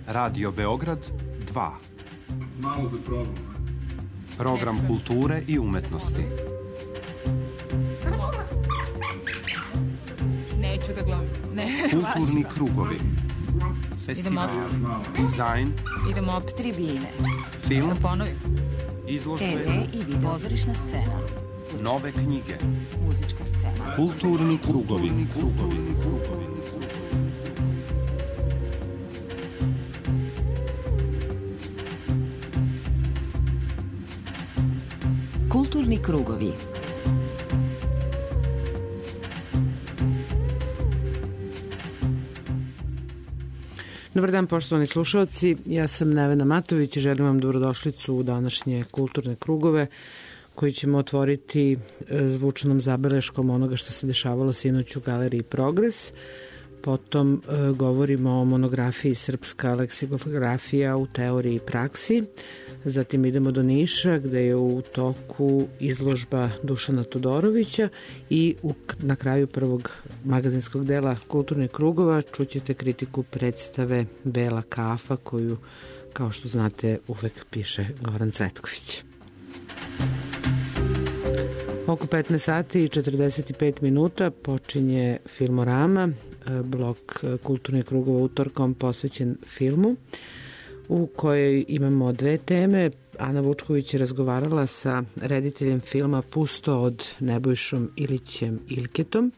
Radio Beograd 2. Program kulture i umetnosti. Neću da gledam. Kulturni krugovi. Festival, dizajn. Idemo op tribine. Film, Da ponovim. izložbe, TV i video. Pozorišna scena. nove knjige. Muzička scena. Kulturni krugovi. Kulturni krugovi. Dobar dan, poštovani slušalci. Ja sam Nevena Matović i želim vam dobrodošlicu u današnje kulturne krugove koji ćemo otvoriti zvučnom zabeleškom onoga što se dešavalo sinoć u Galeriji Progres. Potom govorimo o monografiji Srpska leksikografija u teoriji i praksi. Zatim idemo do Niša gde je u toku izložba Dušana Todorovića i na kraju prvog magazinskog dela Kulturnih krugova čućete kritiku predstave Bela kafa koju, kao što znate, uvek piše Goran Cvetković. Oko 15 sati i 45 minuta počinje Filmorama, blok Kulturnih krugova utorkom posvećen filmu, u kojoj imamo dve teme. Ana Vučković je razgovarala sa rediteljem filma Pusto od Nebojšom Ilićem Ilketom,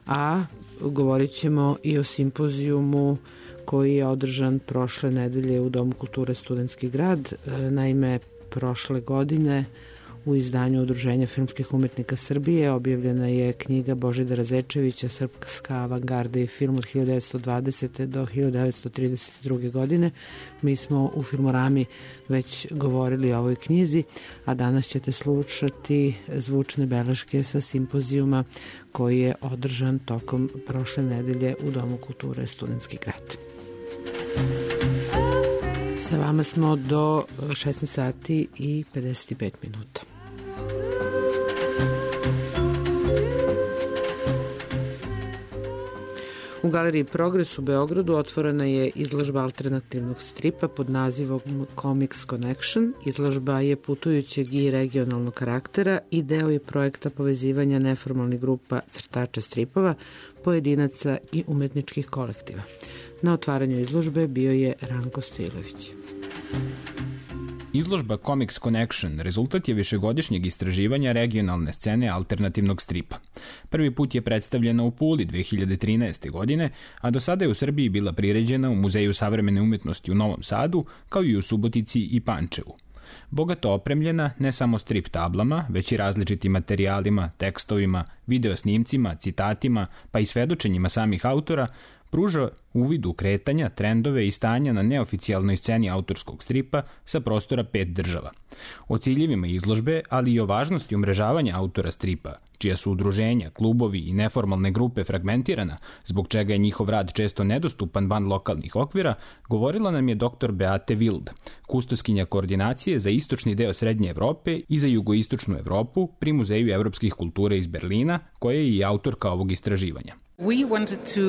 a govorit ćemo i o simpozijumu koji je održan prošle nedelje u Domu kulture Studentski grad. Naime, prošle godine u izdanju Udruženja filmskih umetnika Srbije objavljena je knjiga Božidara Zečevića Srpska avangarda i film od 1920. do 1932. godine. Mi smo u Filmorami već govorili o ovoj knjizi, a danas ćete slušati zvučne beleške sa simpozijuma koji je održan tokom prošle nedelje u Domu kulture Studentski grad. Sa vama smo do 16 sati i 55 minuta. U Galeriji Progres u Beogradu otvorena je izložba alternativnog stripa pod nazivom Comics Connection. Izložba je putujućeg i regionalnog karaktera i deo je projekta povezivanja neformalnih grupa crtača stripova, pojedinaca i umetničkih kolektiva. Na otvaranju izložbe bio je Ranko Stojilović. Izložba Comics Connection rezultat je višegodišnjeg istraživanja regionalne scene alternativnog stripa. Prvi put je predstavljena u Puli 2013. godine, a do sada je u Srbiji bila priređena u Muzeju savremene umetnosti u Novom Sadu, kao i u Subotici i Pančevu. Bogato opremljena ne samo strip tablama, već i različitim materijalima, tekstovima, videosnimcima, citatima, pa i svedočenjima samih autora, pruža uvid u kretanja, trendove i stanja na neoficijalnoj sceni autorskog stripa sa prostora 5 država. O ciljevima izložbe, ali i o važnosti umrežavanja autora stripa, čija su udruženja, klubovi i neformalne grupe fragmentirana, zbog čega je njihov rad često nedostupan van lokalnih okvira, govorila nam je dr. Beate Wild, kustoskinja koordinacije za istočni deo Srednje Evrope i za jugoistočnu Evropu pri Muzeju evropskih kultura iz Berlina, koja je i autorka ovog istraživanja. We wanted to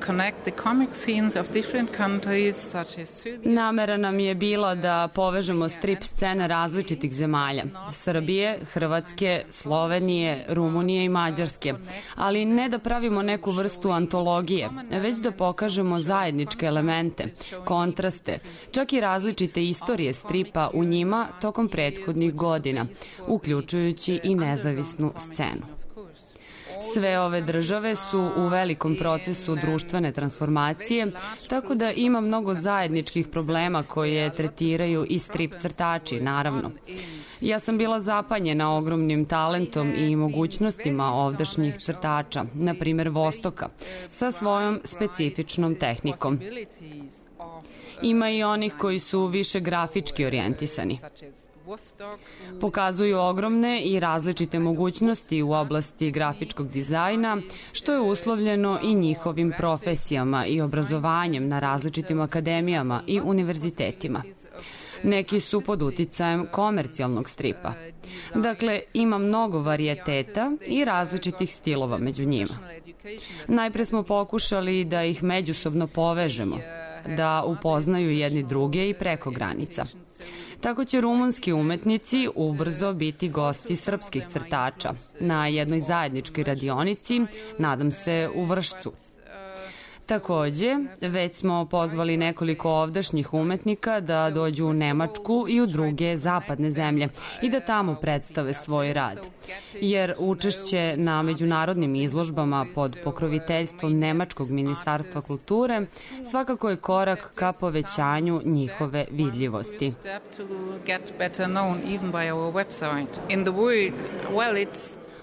connect the comic scenes of different countries such as Serbia. Namera nam je bila da povežemo strip scene različitih zemalja, Srbije, Hrvatske, Slovenije, Rumunije i Mađarske, ali ne da pravimo neku vrstu antologije, već da pokažemo zajedničke elemente, kontraste, čak i različite istorije stripa u njima tokom prethodnih godina, uključujući i nezavisnu scenu. Sve ove države su u velikom procesu društvene transformacije, tako da ima mnogo zajedničkih problema koje tretiraju i strip crtači, naravno. Ja sam bila zapanjena ogromnim talentom i mogućnostima ovdašnjih crtača, na primer Vostoka, sa svojom specifičnom tehnikom. Ima i onih koji su više grafički orijentisani. Pokazuju ogromne i različite mogućnosti u oblasti grafičkog dizajna, što je uslovljeno i njihovim profesijama i obrazovanjem na različitim akademijama i univerzitetima. Neki su pod uticajem komercijalnog stripa. Dakle, ima mnogo varijeteta i različitih stilova među njima. Najpre smo pokušali da ih međusobno povežemo. da upoznaju jedni druge i preko granica. Tako će rumunski umetnici ubrzo biti gosti srpskih crtača na jednoj zajedničkoj radionici, nadam se u Vršcu. Takođe, već smo pozvali nekoliko ovdašnjih umetnika da dođu u Nemačku i u druge zapadne zemlje i da tamo predstave svoj rad. Jer učešće na međunarodnim izložbama pod pokroviteljstvom Nemačkog ministarstva kulture svakako je korak ka povećanju njihove vidljivosti.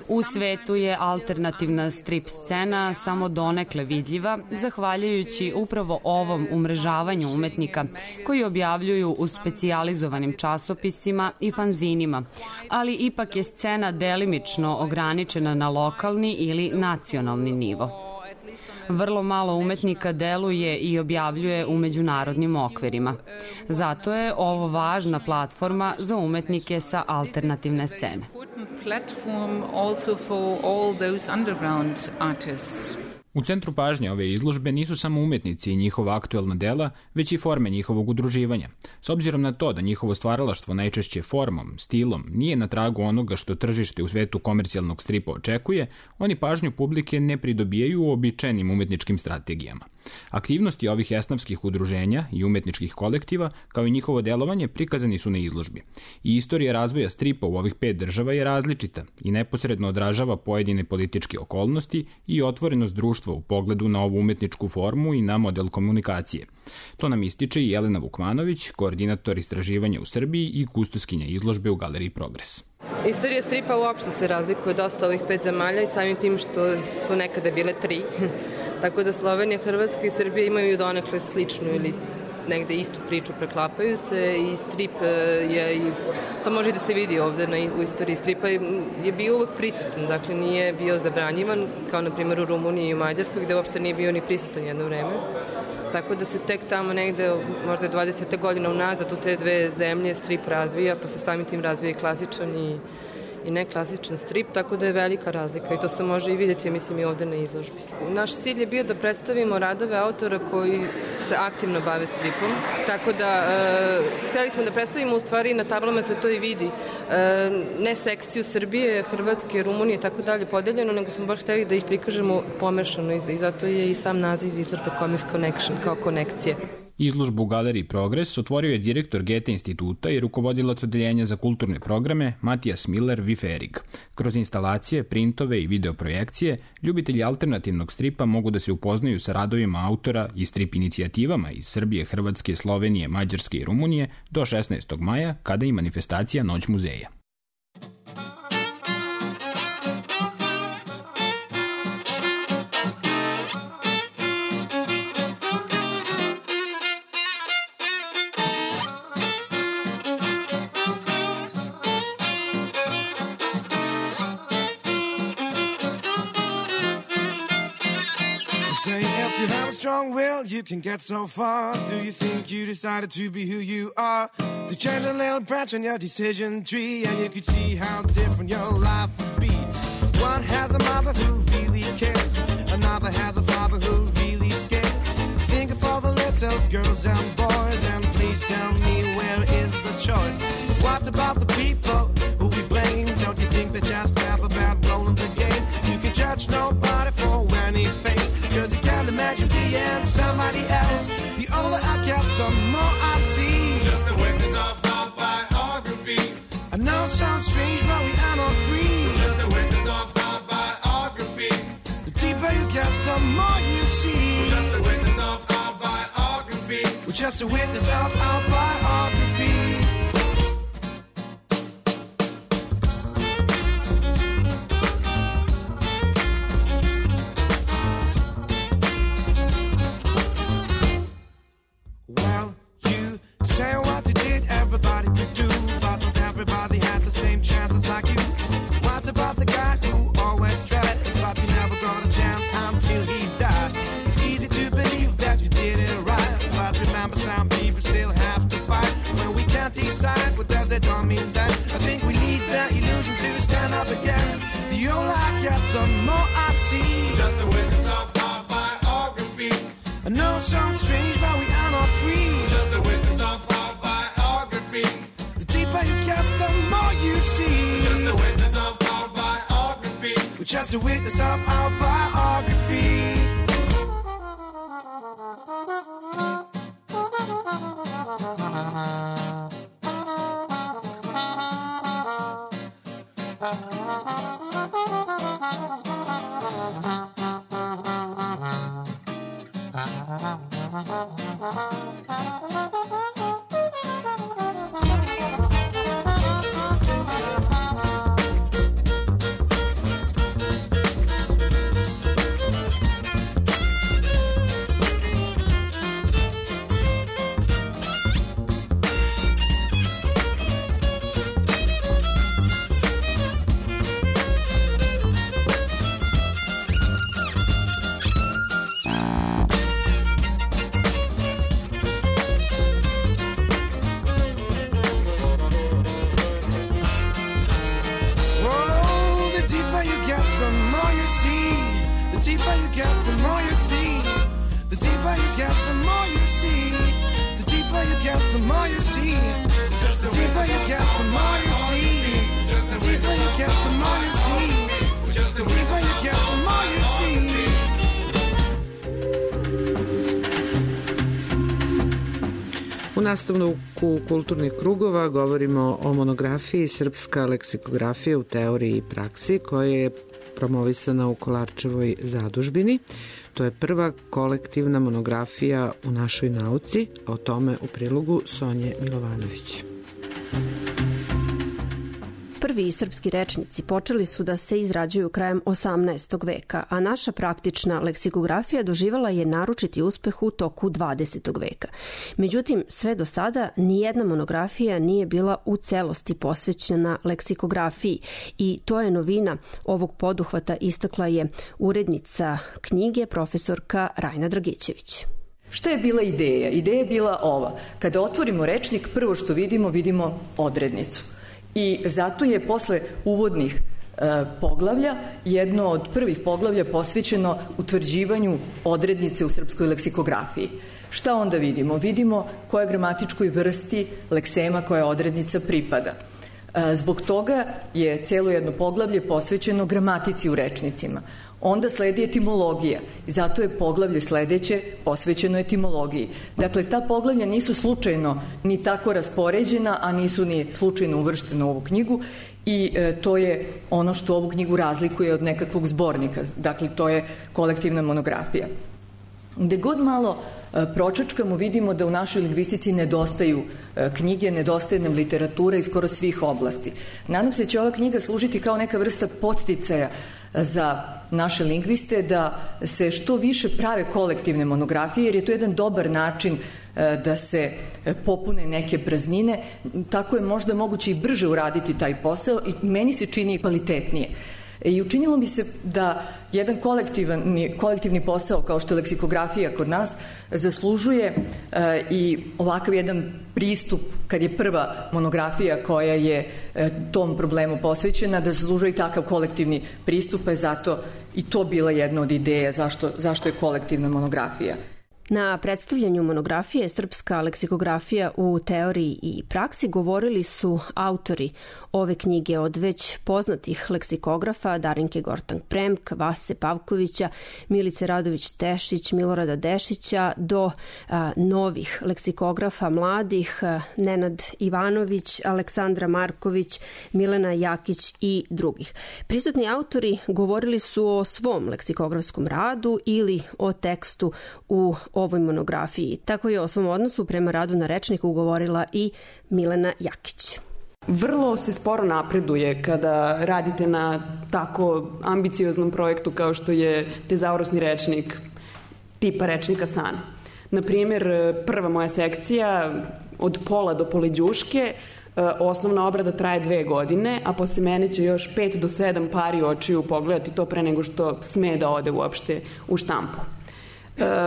U svetu je alternativna strip scena samo donekle vidljiva, zahvaljujući upravo ovom umrežavanju umetnika koji objavljuju u specijalizovanim časopisima i fanzinima, ali ipak je scena delimično ograničena na lokalni ili nacionalni nivo. Vrlo malo umetnika deluje i objavljuje u međunarodnim okvirima. Zato je ovo važna platforma za umetnike sa alternativne scene. U centru pažnje ove izložbe nisu samo umetnici i njihova aktuelna dela, već i forme njihovog udruživanja. S obzirom na to da njihovo stvaralaštvo najčešće formom, stilom, nije na tragu onoga što tržište u svetu komercijalnog stripa očekuje, oni pažnju publike ne pridobijaju uobičajenim umetničkim strategijama. Aktivnosti ovih esnafskih udruženja i umetničkih kolektiva, kao i njihovo delovanje, prikazani su na izložbi. I istorija razvoja stripa u ovih 5 država je različita i neposredno odražava pojedine političke okolnosti i otvorenost društva u pogledu na ovu umetničku formu i na model komunikacije. To nam ističe i Jelena Vukmanović, koordinator istraživanja u Srbiji i kustoskinja izložbe u Galeriji Progres. Istorija stripa uopšte se razlikuje dosta ovih 5 zemalja i samim tim što su nekada bile 3. Tako da Slovenija, Hrvatska i Srbija imaju donekle sličnu ili negde istu priču, preklapaju se i strip je, i to može i da se vidi ovde u istoriji stripa, je bio uvek prisutan, dakle nije bio zabranjivan, kao na primjer u Rumuniji i u Mađarskoj, gde uopšte nije bio ni prisutan jedno vreme. Tako da se tek tamo negde, možda 20. godina unazad, u te 2 zemlje strip razvija, pa se samim tim razvija i klasičan i neklasičan strip, tako da je velika razlika i to se može i vidjeti, ja mislim, i ovde na izložbi. Naš cilj je bio da predstavimo radove autora koji se aktivno bave stripom, tako da hteli smo da predstavimo, u stvari na tablama se to i vidi, ne sekciju Srbije, Hrvatske, Rumunije i tako dalje podeljeno, nego smo baš hteli da ih prikažemo pomešano i zato je i sam naziv izložbe Comics Connection, kao konekcije. Izložbu u Galeriji Progres otvorio je direktor Goethe instituta i rukovodilac odeljenja za kulturne programe Matijas Miller-Viferig. Kroz instalacije, printove i videoprojekcije, ljubitelji alternativnog stripa mogu da se upoznaju sa radovima autora i strip inicijativama iz Srbije, Hrvatske, Slovenije, Mađarske i Rumunije do 16. maja, kada je manifestacija Noć muzeja. Strong will, you can get so far. Do you think you decided to be who you are? To change a little branch on your decision tree, and you could see how different your life would be. One has a mother who really cares, another has a father who really scares. Think of all the little girls and boys, and please tell me, where is the choice? What about the people who we blame? Don't you think they just have a bad role in the game? You can judge nobody for anything, cause you can't imagine being somebody else. The older I get, the more I see. Just a witness of our biography. I know it sounds strange, but we are not free. Just a witness of our biography. The deeper you get, the more you see. We're just a witness of our biography. We're just a witness of our biography. The more I see, just a witness of our biography. I know it sounds strange, but we are not to witness of our biography. U nastavku kulturnih krugova govorimo o monografiji Srpska leksikografija u teoriji i praksi koja je promovisana u Kolarčevoj zadužbini. To je prva kolektivna monografija u našoj nauci, a o tome u prilogu Sonje Milovanović. Prvi srpski rečnici počeli su da se izrađuju krajem 18. veka, a naša praktična leksikografija doživala je naročiti uspeh u toku 20. veka. Međutim, sve do sada nijedna monografija nije bila u celosti posvećena leksikografiji i to je novina ovog poduhvata, istakla je urednica knjige profesorka Rajna Dragićević. Šta je bila ideja? Ideja je bila ova. Kada otvorimo rečnik, prvo što vidimo odrednicu. I zato je posle uvodnih poglavlja jedno od prvih poglavlja posvećeno utvrđivanju odrednice u srpskoj leksikografiji. Šta onda vidimo? Vidimo koja gramatičkoj vrsti leksema koja odrednica pripada. Zbog toga je celo jedno poglavlje posvećeno gramatici u rečnicima. Onda sledi etimologija i zato je poglavlje sledeće posvećeno etimologiji. Dakle, ta poglavlja nisu slučajno ni tako raspoređena, a nisu ni slučajno uvrštena u ovu knjigu i to je ono što ovu knjigu razlikuje od nekakvog zbornika. Dakle, to je kolektivna monografija. Gde god malo pročačkamo, vidimo da u našoj lingvistici nedostaju knjige, nedostaje nam literatura iz skoro svih oblasti. Nadam se da će ova knjiga služiti kao neka vrsta podsticaja za naše lingviste da se što više prave kolektivne monografije, jer je to jedan dobar način da se popune neke praznine. Tako je možda moguće i brže uraditi taj posao i meni se čini kvalitetnije. I učinilo mi se da jedan kolektivni posao kao što je leksikografija kod nas zaslužuje i ovakav jedan pristup kad je prva monografija koja je tom problemu posvećena, da zaslužuje i takav kolektivni pristup, pa je zato i to bila jedna od ideja zašto je kolektivna monografija. Na predstavljanju monografije Srpska leksikografija u teoriji i praksi govorili su autori ove knjige, od već poznatih leksikografa Darinke Gortank-Premk, Vase Pavkovića, Milice Radović-Tešić, Milorada Dešića do novih leksikografa mladih, Nenad Ivanović, Aleksandra Marković, Milena Jakić i drugih. Prisutni autori govorili su o svom leksikografskom radu ili o tekstu u ovoj monografiji. Tako je o svom odnosu prema radu na rečniku govorila i Milena Jakić. Vrlo se sporo napreduje kada radite na tako ambicioznom projektu kao što je tezaurosni rečnik tipa rečnika San. Naprimjer, prva moja sekcija od pola do poleđuške, osnovna obrada traje 2 godine, a posle mene će još 5 do 7 pari očiju pogledati to pre nego što sme da ode uopšte u štampu.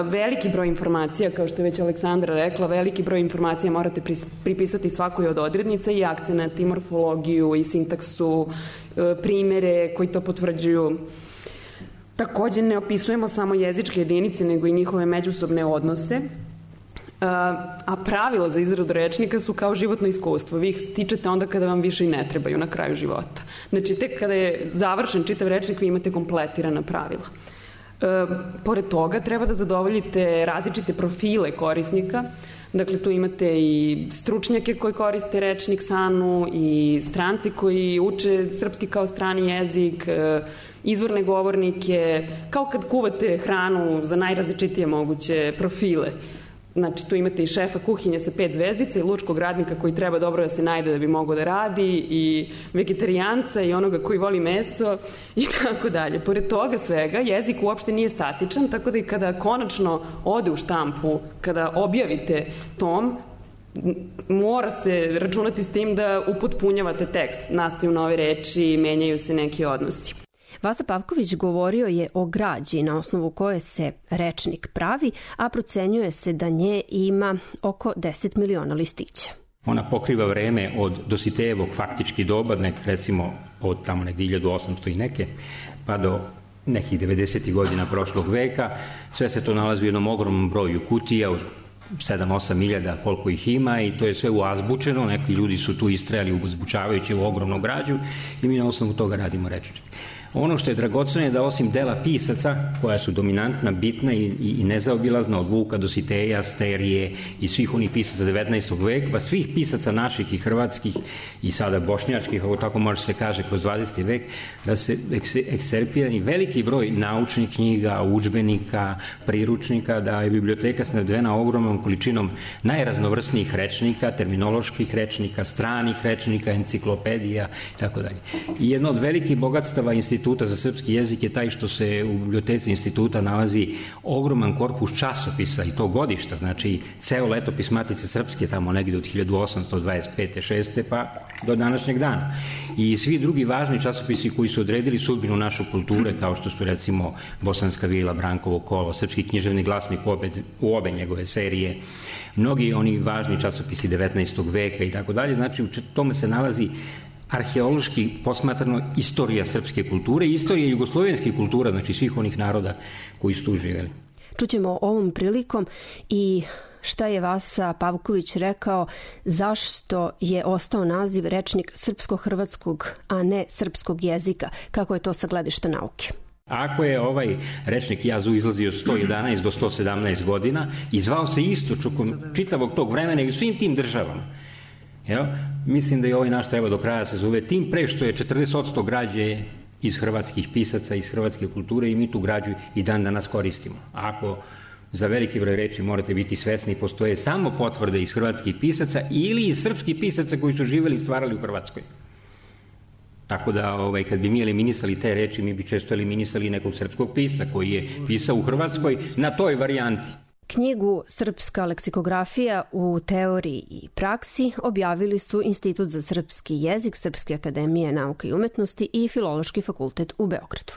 Veliki broj informacija, kao što je već Aleksandra rekla, veliki broj informacija morate pripisati svakoj od odrednica i akcenat, i morfologiju, i sintaksu, primere koji to potvrđuju. Takođe ne opisujemo samo jezičke jedinice, nego i njihove međusobne odnose. A pravila za izradu rečnika su kao životno iskustvo. Vi ih stičete onda kada vam više i ne trebaju na kraju života. Znači, tek kada je završen čitav rečnik, vi imate kompletirana pravila. Pored toga, treba da zadovoljite različite profile korisnika. Dakle, tu imate i stručnjake koji koriste rečnik SANU i stranci koji uče srpski kao strani jezik, izvorne govornike, kao kad kuvate hranu za najrazličitije moguće profile. Znači, tu imate i šefa kuhinje sa 5 zvezdica i lučkog radnika koji treba dobro da se najde da bi mogao da radi i vegetarijanca i onoga koji voli meso i tako dalje. Pored toga svega, jezik uopšte nije statičan, tako da i kada konačno ode u štampu, kada objavite tom, mora se računati s tim da upotpunjavate tekst. Nastaju nove reči, menjaju se neki odnosi. Vasa Pavković govorio je o građi na osnovu koje se rečnik pravi, a procenjuje se da nje ima oko 10 miliona listića. Ona pokriva vreme od Dositejevog faktički doba, recimo od tamo negdje 1800 i neke, pa do nekih 90. godina prošlog veka. Sve se to nalazi u jednom ogromnom broju kutija, u 7-8 milijada koliko ih ima i to je sve uazbučeno. Neki ljudi su tu istrajali uzbučavajući u ogromnu građu i mi na osnovu toga radimo rečnik. Ono što je dragoceno je da osim dela pisaca, koja su dominantna, bitna i nezaobilazna od Vuka, Dositeja, Sterije i svih onih pisaca 19. veka, pa svih pisaca naših i hrvatskih i sada bošnjačkih, ovo tako može se kaže kroz 20. vek, da se ekscerpirani veliki broj naučnih knjiga, udžbenika, priručnika, da je biblioteka snabdevena ogromnom količinom najraznovrsnijih rečnika, terminoloških rečnika, stranih rečnika, enciklopedija i tako dalje. I jedno od velikih bogatstava Instituta za srpski jezik je taj što se u biblioteci instituta nalazi ogroman korpus časopisa i to godišta, znači ceo letopis Matice Srpske tamo negdje od 1825. 6. pa do današnjeg dana. I svi drugi važni časopisi koji su odredili sudbinu naše kulture, kao što su recimo Bosanska vila, Brankovo kolo, Srpski književni glasnik u obe njegove serije, mnogi oni važni časopisi 19. veka i tako dalje, znači u tome se nalazi arheološki posmatrano istorija srpske kulture i istorija jugoslovenskih kultura, znači svih onih naroda koji su tu živjeli. Čućemo ovom prilikom i šta je Vasa Pavković rekao, zašto je ostao naziv rečnik srpsko-hrvatskog, a ne srpskog jezika, kako je to sa gledišta nauke. Ako je ovaj rečnik JAZU izlazio 111 do 117 godina i zvao se isto čitavog tog vremena i u svim tim državama, mislim da i ovaj naš treba do kraja se zove, tim pre što je 40% građe iz hrvatskih pisaca, iz hrvatske kulture i mi tu građu i dan danas koristimo. Ako za veliki broj reči morate biti svesni, postoje samo potvrde iz hrvatskih pisaca ili iz srpskih pisaca koji su živjeli i stvarali u Hrvatskoj. Tako da kad bi mi eliminisali te reči, mi bi često eliminisali nekog srpskog pisca koji je pisao u Hrvatskoj na toj varijanti. Knjigu Srpska leksikografija u teoriji i praksi objavili su Institut za srpski jezik Srpske akademije nauke i umetnosti i Filološki fakultet u Beogradu.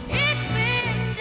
It's been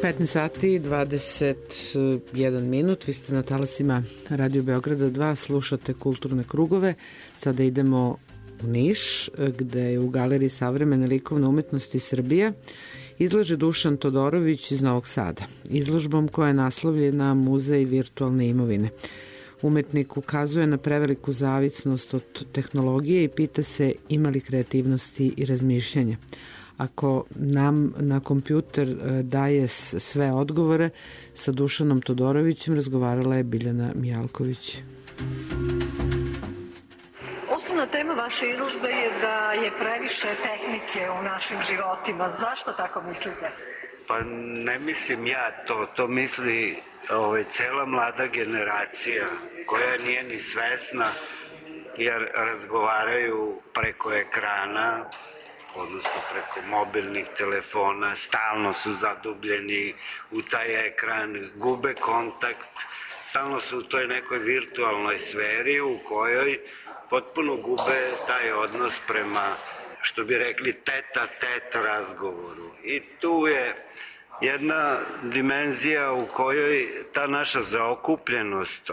15 sati 21 minut, vi ste na talasima Radio Beograda 2, slušate Kulturne krugove. Sada idemo u Niš, gde je u Galeriji savremene likovne umetnosti Srbije izlaže Dušan Todorović iz Novog Sada, izložbom koja je naslovljena Muzej virtualne imovine. Umetnik ukazuje na preveliku zavisnost od tehnologije i pita se ima li kreativnosti i razmišljanja. Ako nam na kompjuter daje sve odgovore, sa Dušanom Todorovićem razgovarala je Biljana Mijalković. Osnovna tema vaše izložbe je da je previše tehnike u našim životima. Zašto tako mislite? Pa ne mislim ja to misli cela mlada generacija koja nije ni svesna jer razgovaraju preko ekrana, odnosno preko mobilnih telefona, stalno su zadubljeni u taj ekran, gube kontakt, stalno su u toj nekoj virtualnoj sferi u kojoj potpuno gube taj odnos prema, što bi rekli, tete-a-tete razgovoru. I tu je jedna dimenzija u kojoj ta naša zaokupljenost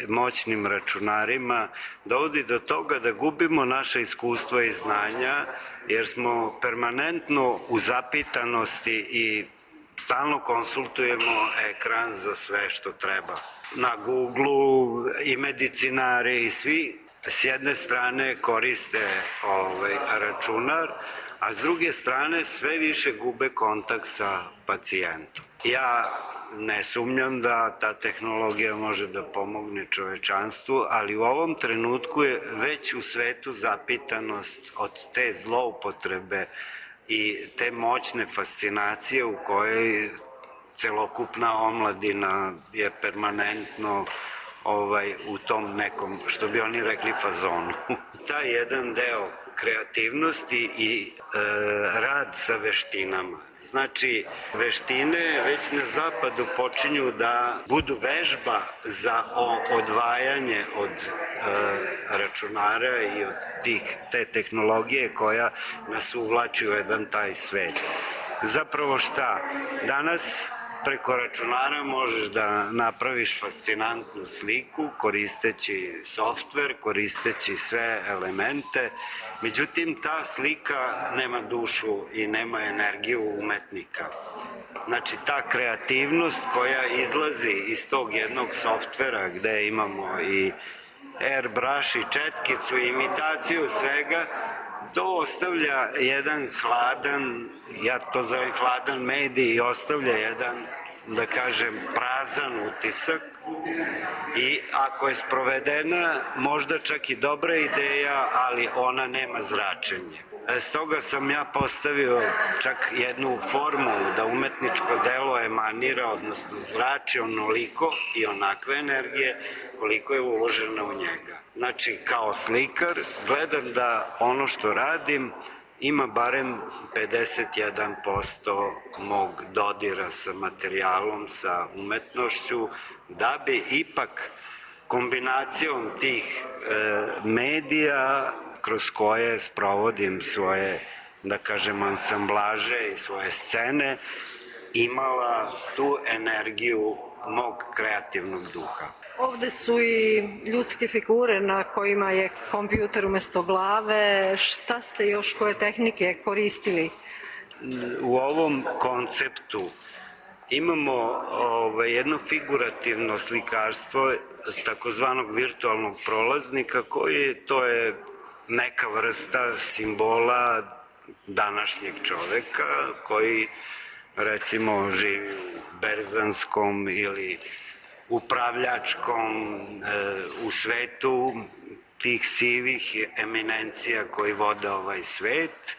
moćnim računarima dovodi do toga da gubimo naše iskustva i znanja, jer smo permanentno u zapitanosti i stalno konsultujemo ekran za sve što treba. Na Google-u i medicinari i svi s jedne strane koriste računar, a s druge strane sve više gube kontakt sa pacijentom. Ja ne sumnjam da ta tehnologija može da pomogne čovečanstvu, ali u ovom trenutku je već u svetu zapitanost od te zloupotrebe i te moćne fascinacije u kojoj celokupna omladina je permanentno u tom nekom, što bi oni rekli, fazonu. Taj jedan deo kreativnosti i rad sa veštinama. Znači, veštine već na zapadu počinju da budu vežba za odvajanje od računara i od te tehnologije koja nas uvlači u jedan taj svet. Zapravo šta? Danas preko računara možeš da napraviš fascinantnu sliku koristeći softver, koristeći sve elemente, međutim ta slika nema dušu i nema energiju umetnika. Znači ta kreativnost koja izlazi iz tog jednog softvera gde imamo i airbrush i četkicu i imitaciju svega, to ostavlja jedan hladan, ja to zovem hladan medij, i ostavlja jedan, da kažem, prazan utisak i ako je sprovedena možda čak i dobra ideja, ali ona nema zračenje. Stoga sam ja postavio čak jednu formulu da umetničko delo emanira, odnosno zrači onoliko i onakve energije koliko je uloženo u njega. Znači, kao slikar gledam da ono što radim ima barem 51% mog dodira sa materijalom, sa umetnošću, da bi ipak kombinacijom tih medija kroz koje sprovodim svoje, da kažem, ansamblaže i svoje scene, imala tu energiju mog kreativnog duha. Ovde su i ljudske figure na kojima je kompjuter umesto glave. Šta ste još, koje tehnike koristili? U ovom konceptu imamo jedno figurativno slikarstvo takozvanog virtualnog prolaznika to je neka vrsta simbola današnjeg čoveka koji recimo živi u berzanskom ili upravljačkom u svetu tih sivih eminencija koji vode ovaj svet.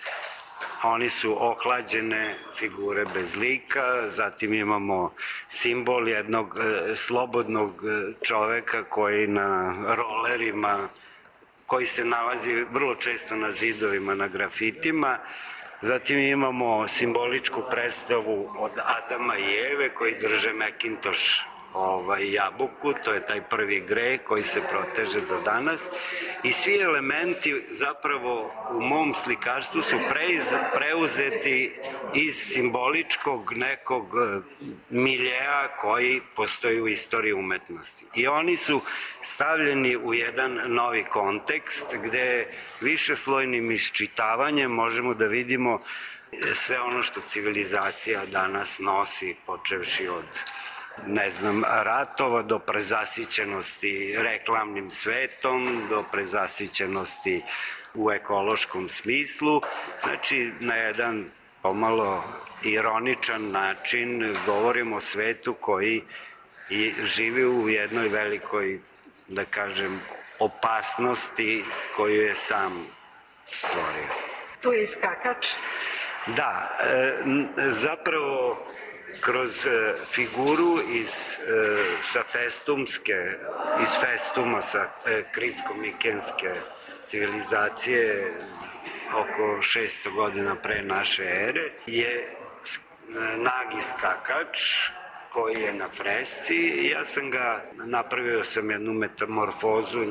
Oni su ohlađene figure bez lika, zatim imamo simbol jednog slobodnog čoveka koji na rolerima, koji se nalazi vrlo često na zidovima, na grafitima. Zatim imamo simboličku predstavu od Adama i Eve koji drže Macintosh jabuku, to je taj prvi greh koji se proteže do danas i svi elementi zapravo u mom slikarstvu su preuzeti iz simboličkog nekog miljeja koji postoji u istoriji umetnosti. I oni su stavljeni u jedan novi kontekst gde višeslojnim iščitavanjem možemo da vidimo sve ono što civilizacija danas nosi, počevši od ratova do prezasićenosti reklamnim svetom, do prezasićenosti u ekološkom smislu. Znači, na jedan pomalo ironičan način govorimo o svetu koji živi u jednoj velikoj, da kažem, opasnosti koju je sam stvorio. Tu je i skakač. Da, zapravo kroz figuru sa Festuma, sa kritsko-mikenske civilizacije oko 600 godina pre naše ere, je nagi skakač koji je na fresci i ja sam napravio jednu metamorfozu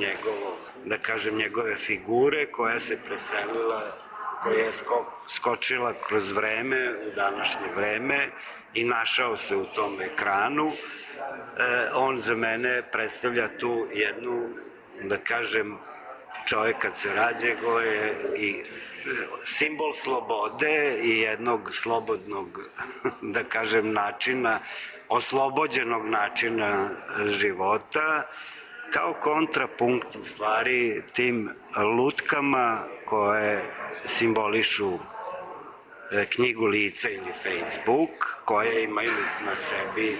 njegove figure koja se preselila, koja je skočila kroz vreme u današnje vreme i našao se u tom ekranu. On za mene predstavlja tu jednu, da kažem, čovjek kad se rađe go je i simbol slobode i jednog slobodnog, da kažem, načina, oslobođenog načina života, kao kontrapunkt u stvari tim lutkama koje simbolišu knjigu lica ili Facebook, koje imaju na sebi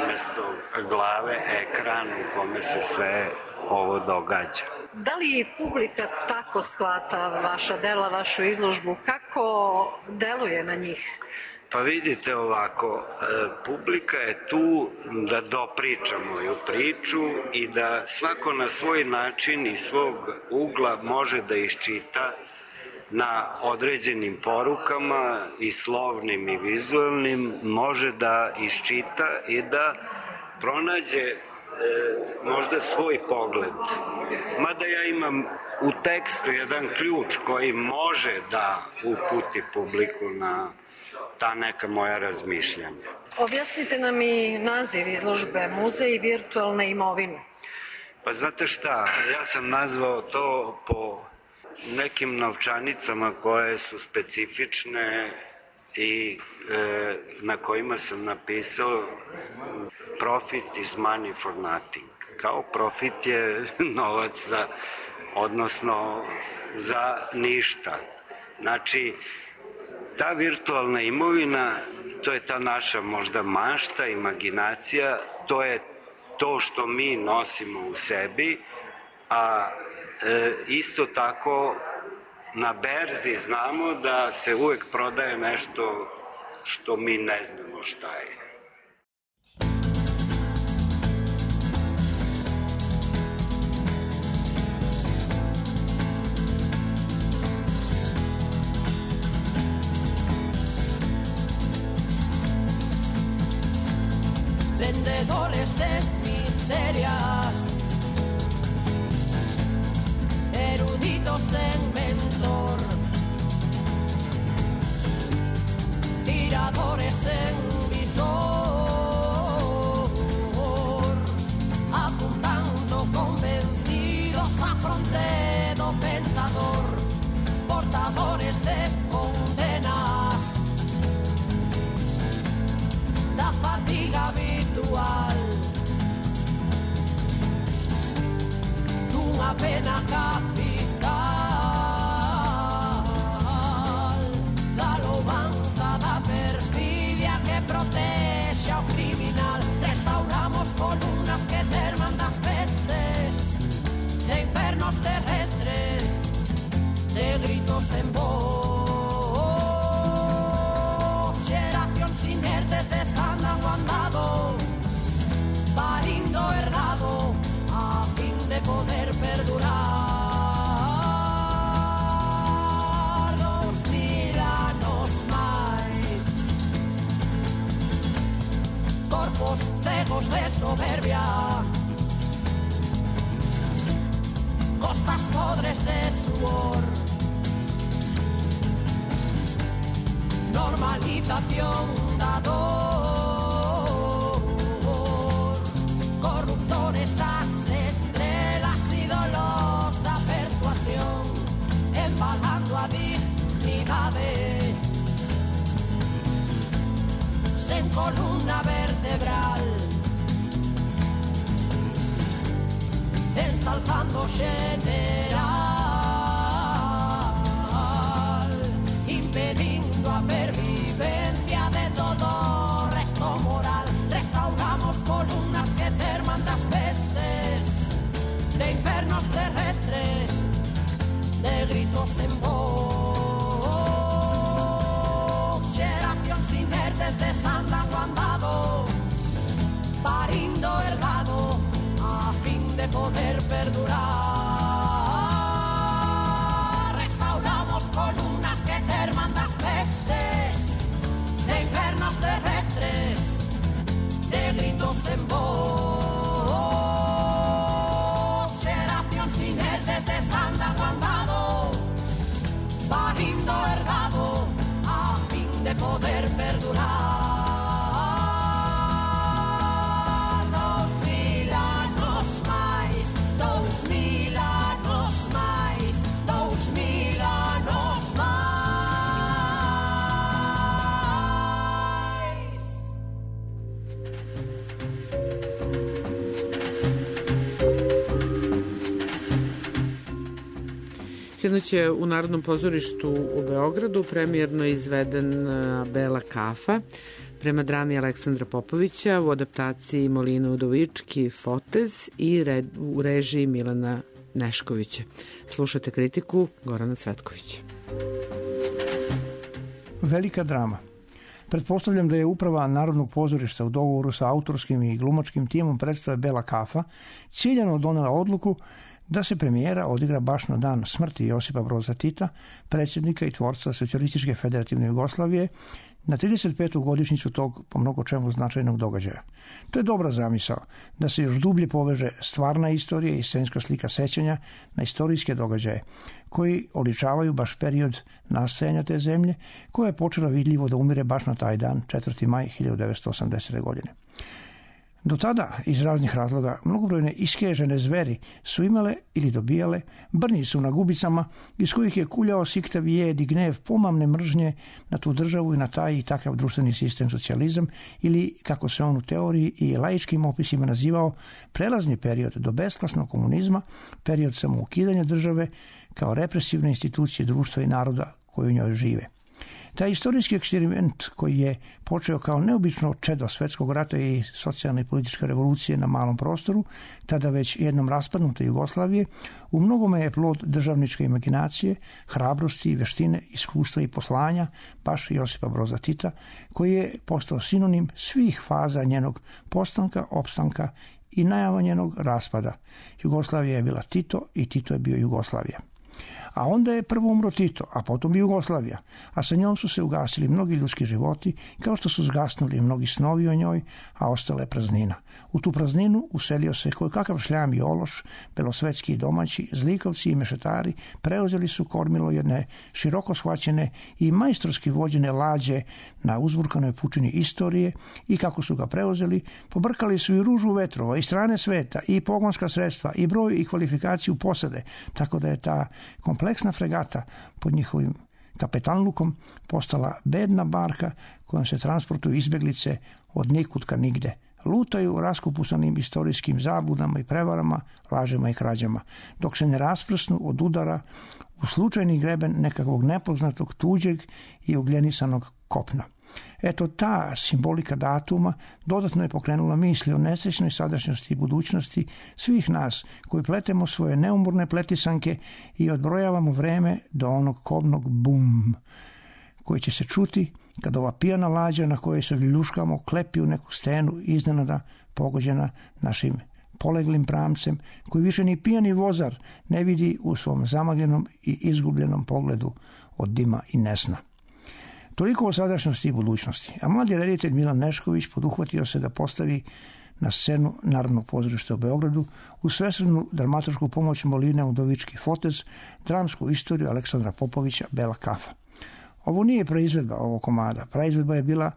umesto glave ekran u kome se sve ovo događa. Da li publika tako shvata vaša dela, vašu izložbu? Kako deluje na njih? Pa vidite ovako, publika je tu da dopriča moju priču i da svako na svoj način i svog ugla može da iščita na određenim porukama i slovnim i vizualnim, može da iščita i da pronađe možda svoj pogled. Mada ja imam u tekstu jedan ključ koji može da uputi publiku na ta neka moja razmišljanja. Objasnite nam i naziv izložbe Muzej virtualne imovine. Pa znate šta, ja sam nazvao to po nekim novčanicama koje su specifične i na kojima sam napisao profit is money for nothing. Kao profit je novac odnosno za ništa. Znači, ta virtualna imovina, to je ta naša možda mašta, imaginacija, to je to što mi nosimo u sebi, a isto tako na berzi znamo da se uvek prodaje nešto što mi ne znamo šta je. Vendedores de miserias, eruditos en mentor, tiradores en visor, apuntando convencidos a fronte do pensador, portadores de condenas, da fatiga habitual, dunha pena capital, da louvanza da perfidia que protexe ao criminal. Restauramos columnas que terman das pestes, de infernos terrestres, de gritos en voz, xeracións inertes desandan o andado, parindo herdado a fin de poder perdurar. corpos cegos de soberbia, costas podres de sudor, normalización da dor, corruptores das estrelas, ídolos da persuasión, embalando a dignidade sen columna vertebral, ensalzando general, impedindo a pervivencia de todo resto moral. Restauramos columnas que terman das pestes, de infernos terrestres, de gritos en voz, xeracións inertes desandan o andado, parindo ergado a fin de poder perdurar. Restauramos columnas que terman das pestes, de infernos terrestres, de gritos en voz, xeracións inertes desandan o andado, parindo ergado a fin de poder perdurar. Sinoć je u Narodnom pozorištu u Beogradu premijerno izveden Bela kafa prema drami Aleksandra Popovića u adaptaciji Molina Udovički Fotez i u režiji Milana Neškovića. Slušate kritiku Gorana Cvetkovića. Velika drama. Pretpostavljam da je uprava Narodnog pozorišta u dogovoru sa autorskim i glumačkim timom predstave Bela kafa ciljano donela odluku da se premijera odigra baš na dan smrti Josipa Broza Tita, predsjednika i tvorca Socijalističke federativne Jugoslavije, na 35. godišnjicu tog po mnogo čemu značajnog događaja. To je dobra zamisao, da se još dublje poveže stvarna istorija i scenska slika sećanja na istorijske događaje, koji oličavaju baš period nastajanja te zemlje, koja je počela vidljivo da umire baš na taj dan, 4. maj 1980. godine. Do tada, iz raznih razloga, mnogobrojne iskežene zveri su imale ili dobijale brnicu na gubicama iz kojih je kuljao siktav jed i gnev pomamne mržnje na tu državu i na taj i takav društveni sistem socijalizam ili, kako se on u teoriji i laičkim opisima nazivao, prelazni period do besklasnog komunizma, period samoukidanja države kao represivne institucije društva i naroda koji u njoj žive. Taj istorijski eksperiment koji je počeo kao neobično čedo svetskog rata i socijalne i političke revolucije na malom prostoru, tada već jednom raspadnute Jugoslavije, u mnogome je plod državničke imaginacije, hrabrosti, veštine, iskustva i poslanja baš Josipa Broza Tita, koji je postao sinonim svih faza njenog postanka, opstanka i najava njenog raspada. Jugoslavija je bila Tito i Tito je bio Jugoslavija. A onda je prvo umro Tito, a potom i Jugoslavija, a sa njom su se ugasili mnogi ljudski životi, kao što su zgasnuli mnogi snovi o njoj, a ostala je praznina. U tu prazninu uselio se kojekakav šljam i ološ, belosvetski i domaći, zlikovci i mešetari, preuzeli su kormilo jedne široko shvaćene i majstorski vođene lađe na uzburkanoj pučini istorije i kako su ga preuzeli, pobrkali su i ružu vetrova, i strane sveta, i pogonska sredstva, i broj i kvalifikaciju posade, tako da je ta kompleksna fregata pod njihovim kapetanlukom postala bedna barka kojom se transportuju izbjeglice od nikutka nigde. Lutaju raskupusanim istorijskim zabludama i prevarama, lažima i krađama, dok se ne rasprsnu od udara u slučajni greben nekakvog nepoznatog, tuđeg i ugljenisanog kopna. Eto, ta simbolika datuma dodatno je pokrenula misli o nesrećnoj sadašnjosti i budućnosti svih nas koji pletemo svoje neumorne pletisanke i odbrojavamo vreme do onog kobnog bum koji će se čuti kad ova pijana lađa na kojoj se ljuškamo klepi u neku stenu iznenada pogođena našim poleglim pramcem koji više ni pijani vozar ne vidi u svom zamagljenom i izgubljenom pogledu od dima i nesna. Toliko o sadašnjosti i budućnosti. A mladi reditelj Milan Nešković poduhvatio se da postavi na scenu Narodnog pozorišta u Beogradu u svesrednu dramaturšku pomoć Moline Udovički Fotez, dramsku istoriju Aleksandra Popovića Bela kafa. Ovo nije proizvedba ovog komada. Proizvedba je bila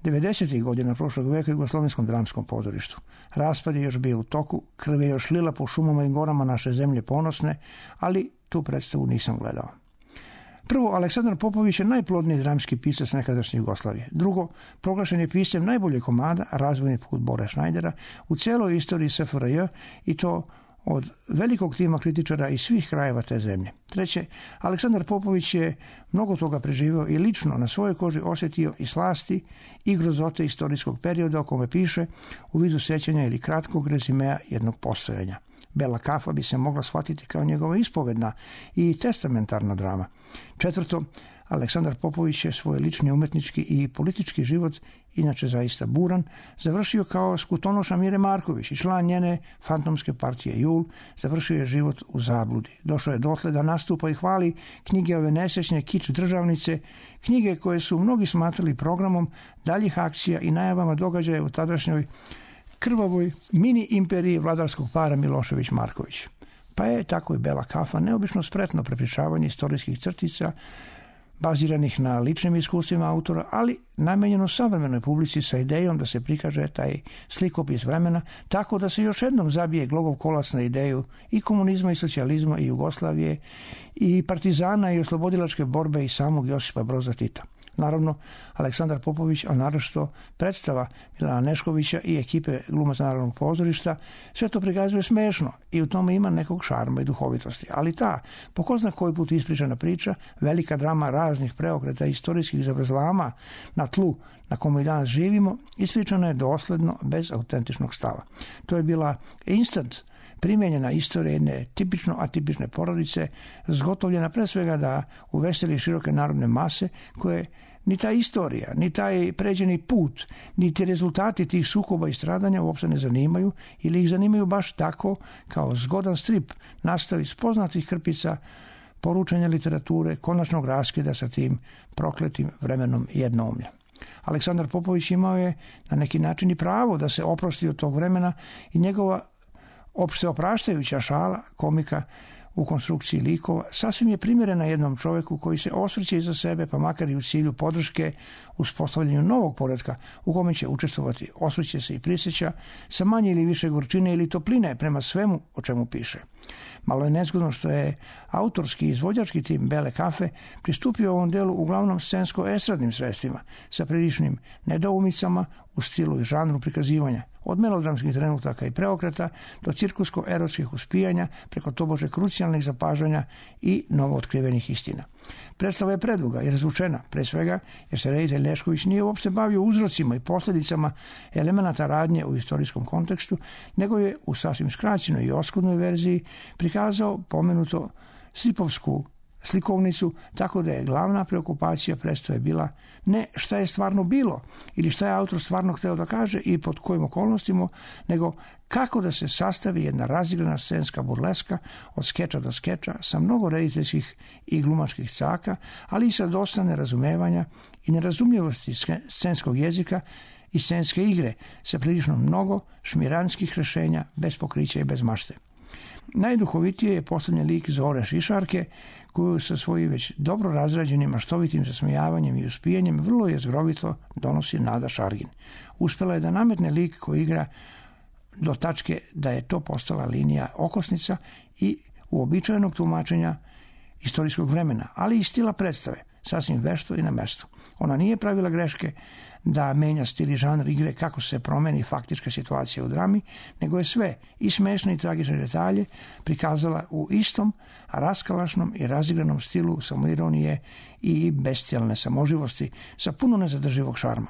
90. godina prošlog veka u Jugoslovenskom dramskom pozorištu. Raspad je još bio u toku, krv je još lila po šumama i gorama naše zemlje ponosne, ali tu predstavu nisam gledao. Prvo, Aleksandar Popović je najplodniji dramski pisac nekadašnje Jugoslavije. Drugo, proglašen je piscem najboljeg komada Razvojni put Bore Šnajdera u celoj istoriji SFRJ i to od velikog tima kritičara iz svih krajeva te zemlje. Treće, Aleksandar Popović je mnogo toga preživio i lično na svojoj koži osjetio i slasti i grozote istorijskog perioda o kome piše u vidu sećanja ili kratkog rezimea jednog postojanja. Bela kafa bi se mogla shvatiti kao njegova ispovedna i testamentarna drama. Četvrto, Aleksandar Popović je svoj lični umetnički i politički život, inače zaista buran, završio kao skutonoša Mire Marković i član njene fantomske partije Jul, završio je život u zabludi. Došao je dotle da nastupa i hvali knjige ove nesrećne kič državnice, knjige koje su mnogi smatrali programom daljih akcija i najavama događaja u tadašnjoj krvavoj mini imperiji vladarskog para Milošević-Marković. Pa je tako i Bela kafa neobično spretno prepričavanje istorijskih crtica baziranih na ličnim iskustvima autora, ali namenjeno savremenoj publici sa idejom da se prikaže taj slikopis vremena tako da se još jednom zabije glogov kolac na ideju i komunizma i socijalizma i Jugoslavije i partizana i oslobodilačke borbe i samog Josipa Broza Tita. Naravno, Aleksandar Popović, a naročito predstava Milana Neškovića i ekipe glumaca Narodnog pozorišta, sve to prikazuje smešno i u tome ima nekog šarma i duhovitosti. Ali ta, po ko zna koji put ispričana priča, velika drama raznih preokreta i istorijskih zavrzlama na tlu na kome i danas živimo, ispričana je dosledno, bez autentičnog stava. To je bila instant primjenjena istorija jedne tipično atipične porodice, zgotovljena pre svega da uveseli široke narodne mase koje ni ta istorija, ni taj pređeni put, ni ti rezultati tih sukoba i stradanja uopšte ne zanimaju ili ih zanimaju baš tako kao zgodan strip nastavi iz poznatih krpica poručenja literature, konačnog raskida sa tim prokletim vremenom jednoumlja. Aleksandar Popović imao je na neki način i pravo da se oprosti od tog vremena i njegova opšte opraštajuća šala komika u konstrukciji likova sasvim je primjerena jednom čoveku koji se osvrće iza sebe, pa makar i u cilju podrške uspostavljanju novog poretka u kome će učestvovati, osvrće se i prisjeća sa manje ili više gorčine ili topline prema svemu o čemu piše. Malo je nezgodno što je autorski izvođački tim Bele kafe pristupio ovom delu uglavnom scensko-estradnim sredstvima sa priličnim nedoumicama u stilu i žanru prikazivanja, od melodramskih trenutaka i preokreta do cirkusko-erotskih uspijanja preko tobože krucijalnih zapažanja i novootkrivenih istina. Predstava je preduga i razvučena, pre svega jer se reditelj Nešković nije uopšte bavio uzrocima i posljedicama elemenata radnje u istorijskom kontekstu, nego je u sasvim skraćenoj i oskudnoj verziji prikazao pomenuto slipovsku slikovnicu, tako da je glavna preokupacija predstave bila ne šta je stvarno bilo ili šta je autor stvarno hteo da kaže i pod kojim okolnostima, nego kako da se sastavi jedna razigrana scenska burleska od skeča do skeča sa mnogo rediteljskih i glumačkih caka, ali i sa dosta nerazumevanja i nerazumljivosti scenskog jezika i scenske igre sa prilično mnogo šmiranskih rešenja bez pokrića i bez mašte. Najduhovitije je postavljen lik Zore Šišarke, koju sa svojim već dobro razrađenim maštovitim zasmejavanjem i uspijanjem vrlo jezgrovito donosi Nada Šargin. Uspela je da nametne lik koji igra do tačke da je to postala linija okosnica i uobičajenog tumačenja istorijskog vremena, ali i stila predstave, sasvim vešto i na mestu. Ona nije pravila greške da menja stil i žanr igre kako se promeni faktička situacija u drami, nego je sve, i smešne i tragične detalje, prikazala u istom, raskalašnom i razigranom stilu samoironije i bestijalne samoživosti sa puno nezadrživog šarma.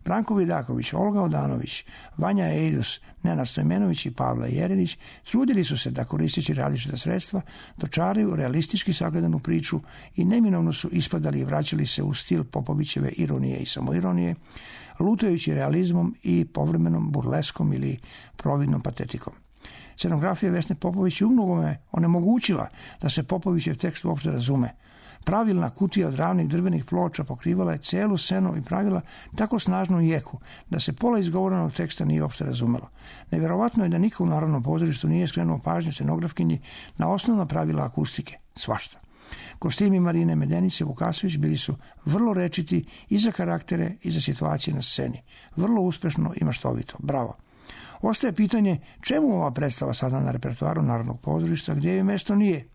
Branko Vidaković, Olga Odanović, Vanja Ejdus, Nenad Stojmenović i Pavla Jerinić trudili su se da koristeći različita sredstva dočaraju realistički sagledanu priču i neminovno su ispadali i vraćali se u stil Popovićeve ironije i samoironije, lutajući realizmom i povremenom burleskom ili providnom patetikom. Scenografija Vesne Popović je umnogome onemogućila da se Popovićev tekst uopšte razume. Pravilna kutija od ravnih drvenih ploča pokrivala je celu scenu i pravila tako snažnu jeku da se pola izgovorenog teksta nije uopšte razumelo. Nevjerovatno je da niko u Narodnom pozorištu nije skrenuo pažnju scenografkinji na osnovna pravila akustike, svašta. Kostimi Marine Medenice Vukasović bili su vrlo rečiti i za karaktere i za situacije na sceni. Vrlo uspešno i maštovito. Bravo. Ostaje pitanje čemu ova predstava sada na repertoaru Narodnog pozorišta, gdje joj mesto nije.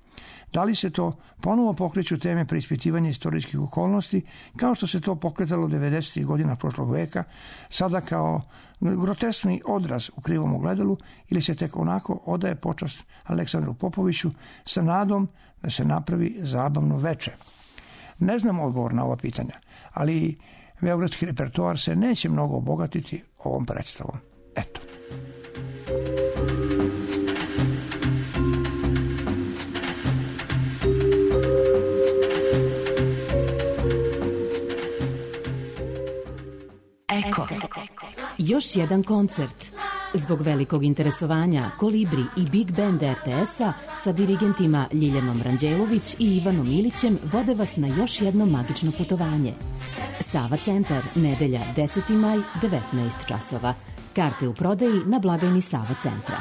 Da li se to ponovo pokreću teme preispitivanja istorijskih okolnosti, kao što se to pokretalo 90. godina prošlog veka, sada kao groteskni odraz u krivom ogledalu, ili se tek onako odaje počast Aleksandru Popoviću sa nadom da se napravi zabavno veče. Ne znam odgovor na ova pitanja, ali beogradski repertoar se neće mnogo obogatiti ovom predstavom. Eto. Eko. Još jedan koncert. Zbog velikog interesovanja Kolibri i Big Band RTS-a sa dirigentima Ljiljanom Ranđelović i Ivanom Ilićem vode vas na još jedno magično putovanje. Sava centar, nedelja 10. maj, 19 časova. Karte u prodaji na blagajni Sava centra.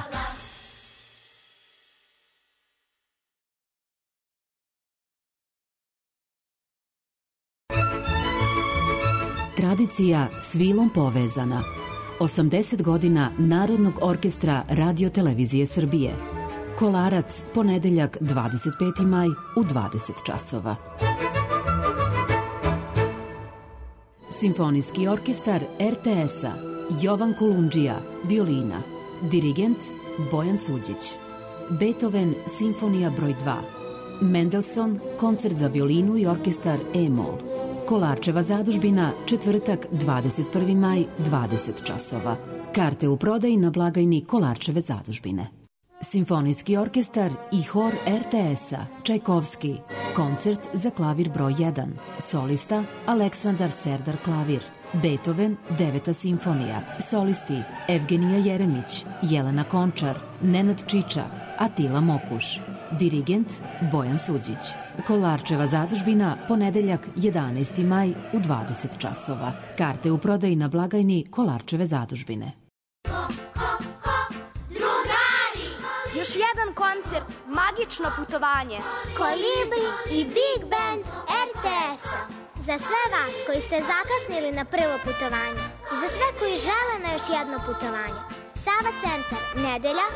Tradicija s vilom povezana. 80 godina Narodnog orkestra Radio-televizije Srbije. Kolarac, ponedeljak 25. maj u 20 časova. Simfonijski orkestar RTS-a Jovan Kolundžija, violina. Dirigent Bojan Suđić. Beethoven, simfonija broj 2. Mendelssohn, koncert za violinu i orkestar E-mol. Kolarčeva zadužbina, četvrtak 21. maj, 20 časova. Karte u prodaji na blagajni Kolarčeve zadužbine. Simfonijski orkestar i hor RTS-a Čajkovski. Koncert za klavir broj 1. Solista Aleksandar Serdar klavir. Beethoven, 9. simfonija. Solisti Evgenija Jeremić, Jelena Končar, Nenad Čiča, Atila Mokuš. Dirigent Bojan Suđić. Kolarčeva zadužbina, ponedeljak 11. maj u 20 časova. Karte u prodaji na blagajni Kolarčeve zadužbine. Drugari! Još jedan koncert, magično putovanje. Kolibri i Big Band RTS-a. Za sve vas koji ste zakasnili na prvo putovanje i za sve koji žele na još jedno putovanje. Sava centar, nedelja,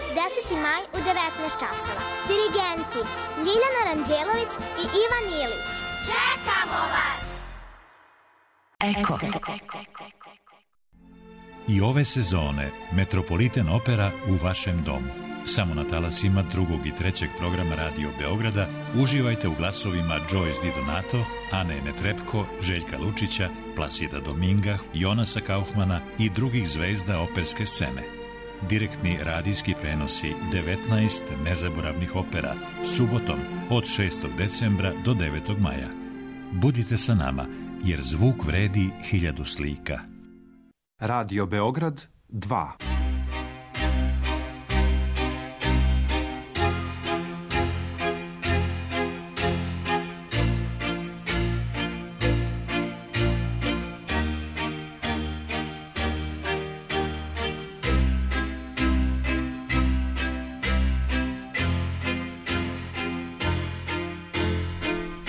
10. maj u 19 časova. Dirigenti Ljiljana Ranđelović i Ivan Ilić. Čekamo vas! Eko. I ove sezone Metropolitan Opera u vašem domu. Samo na talasima 2. i 3. programa Radio Beograda uživajte u glasovima Joyce Di Donato, Ane Netrepko, Željka Lučića, Plasida Dominga, Jonasa Kaufmana i drugih zvezda operske scene. Direktni radijski prenosi 19 nezaboravnih opera subotom od 6. decembra do 9. maja. Budite sa nama, jer zvuk vredi 1000 slika. Radio Beograd 2.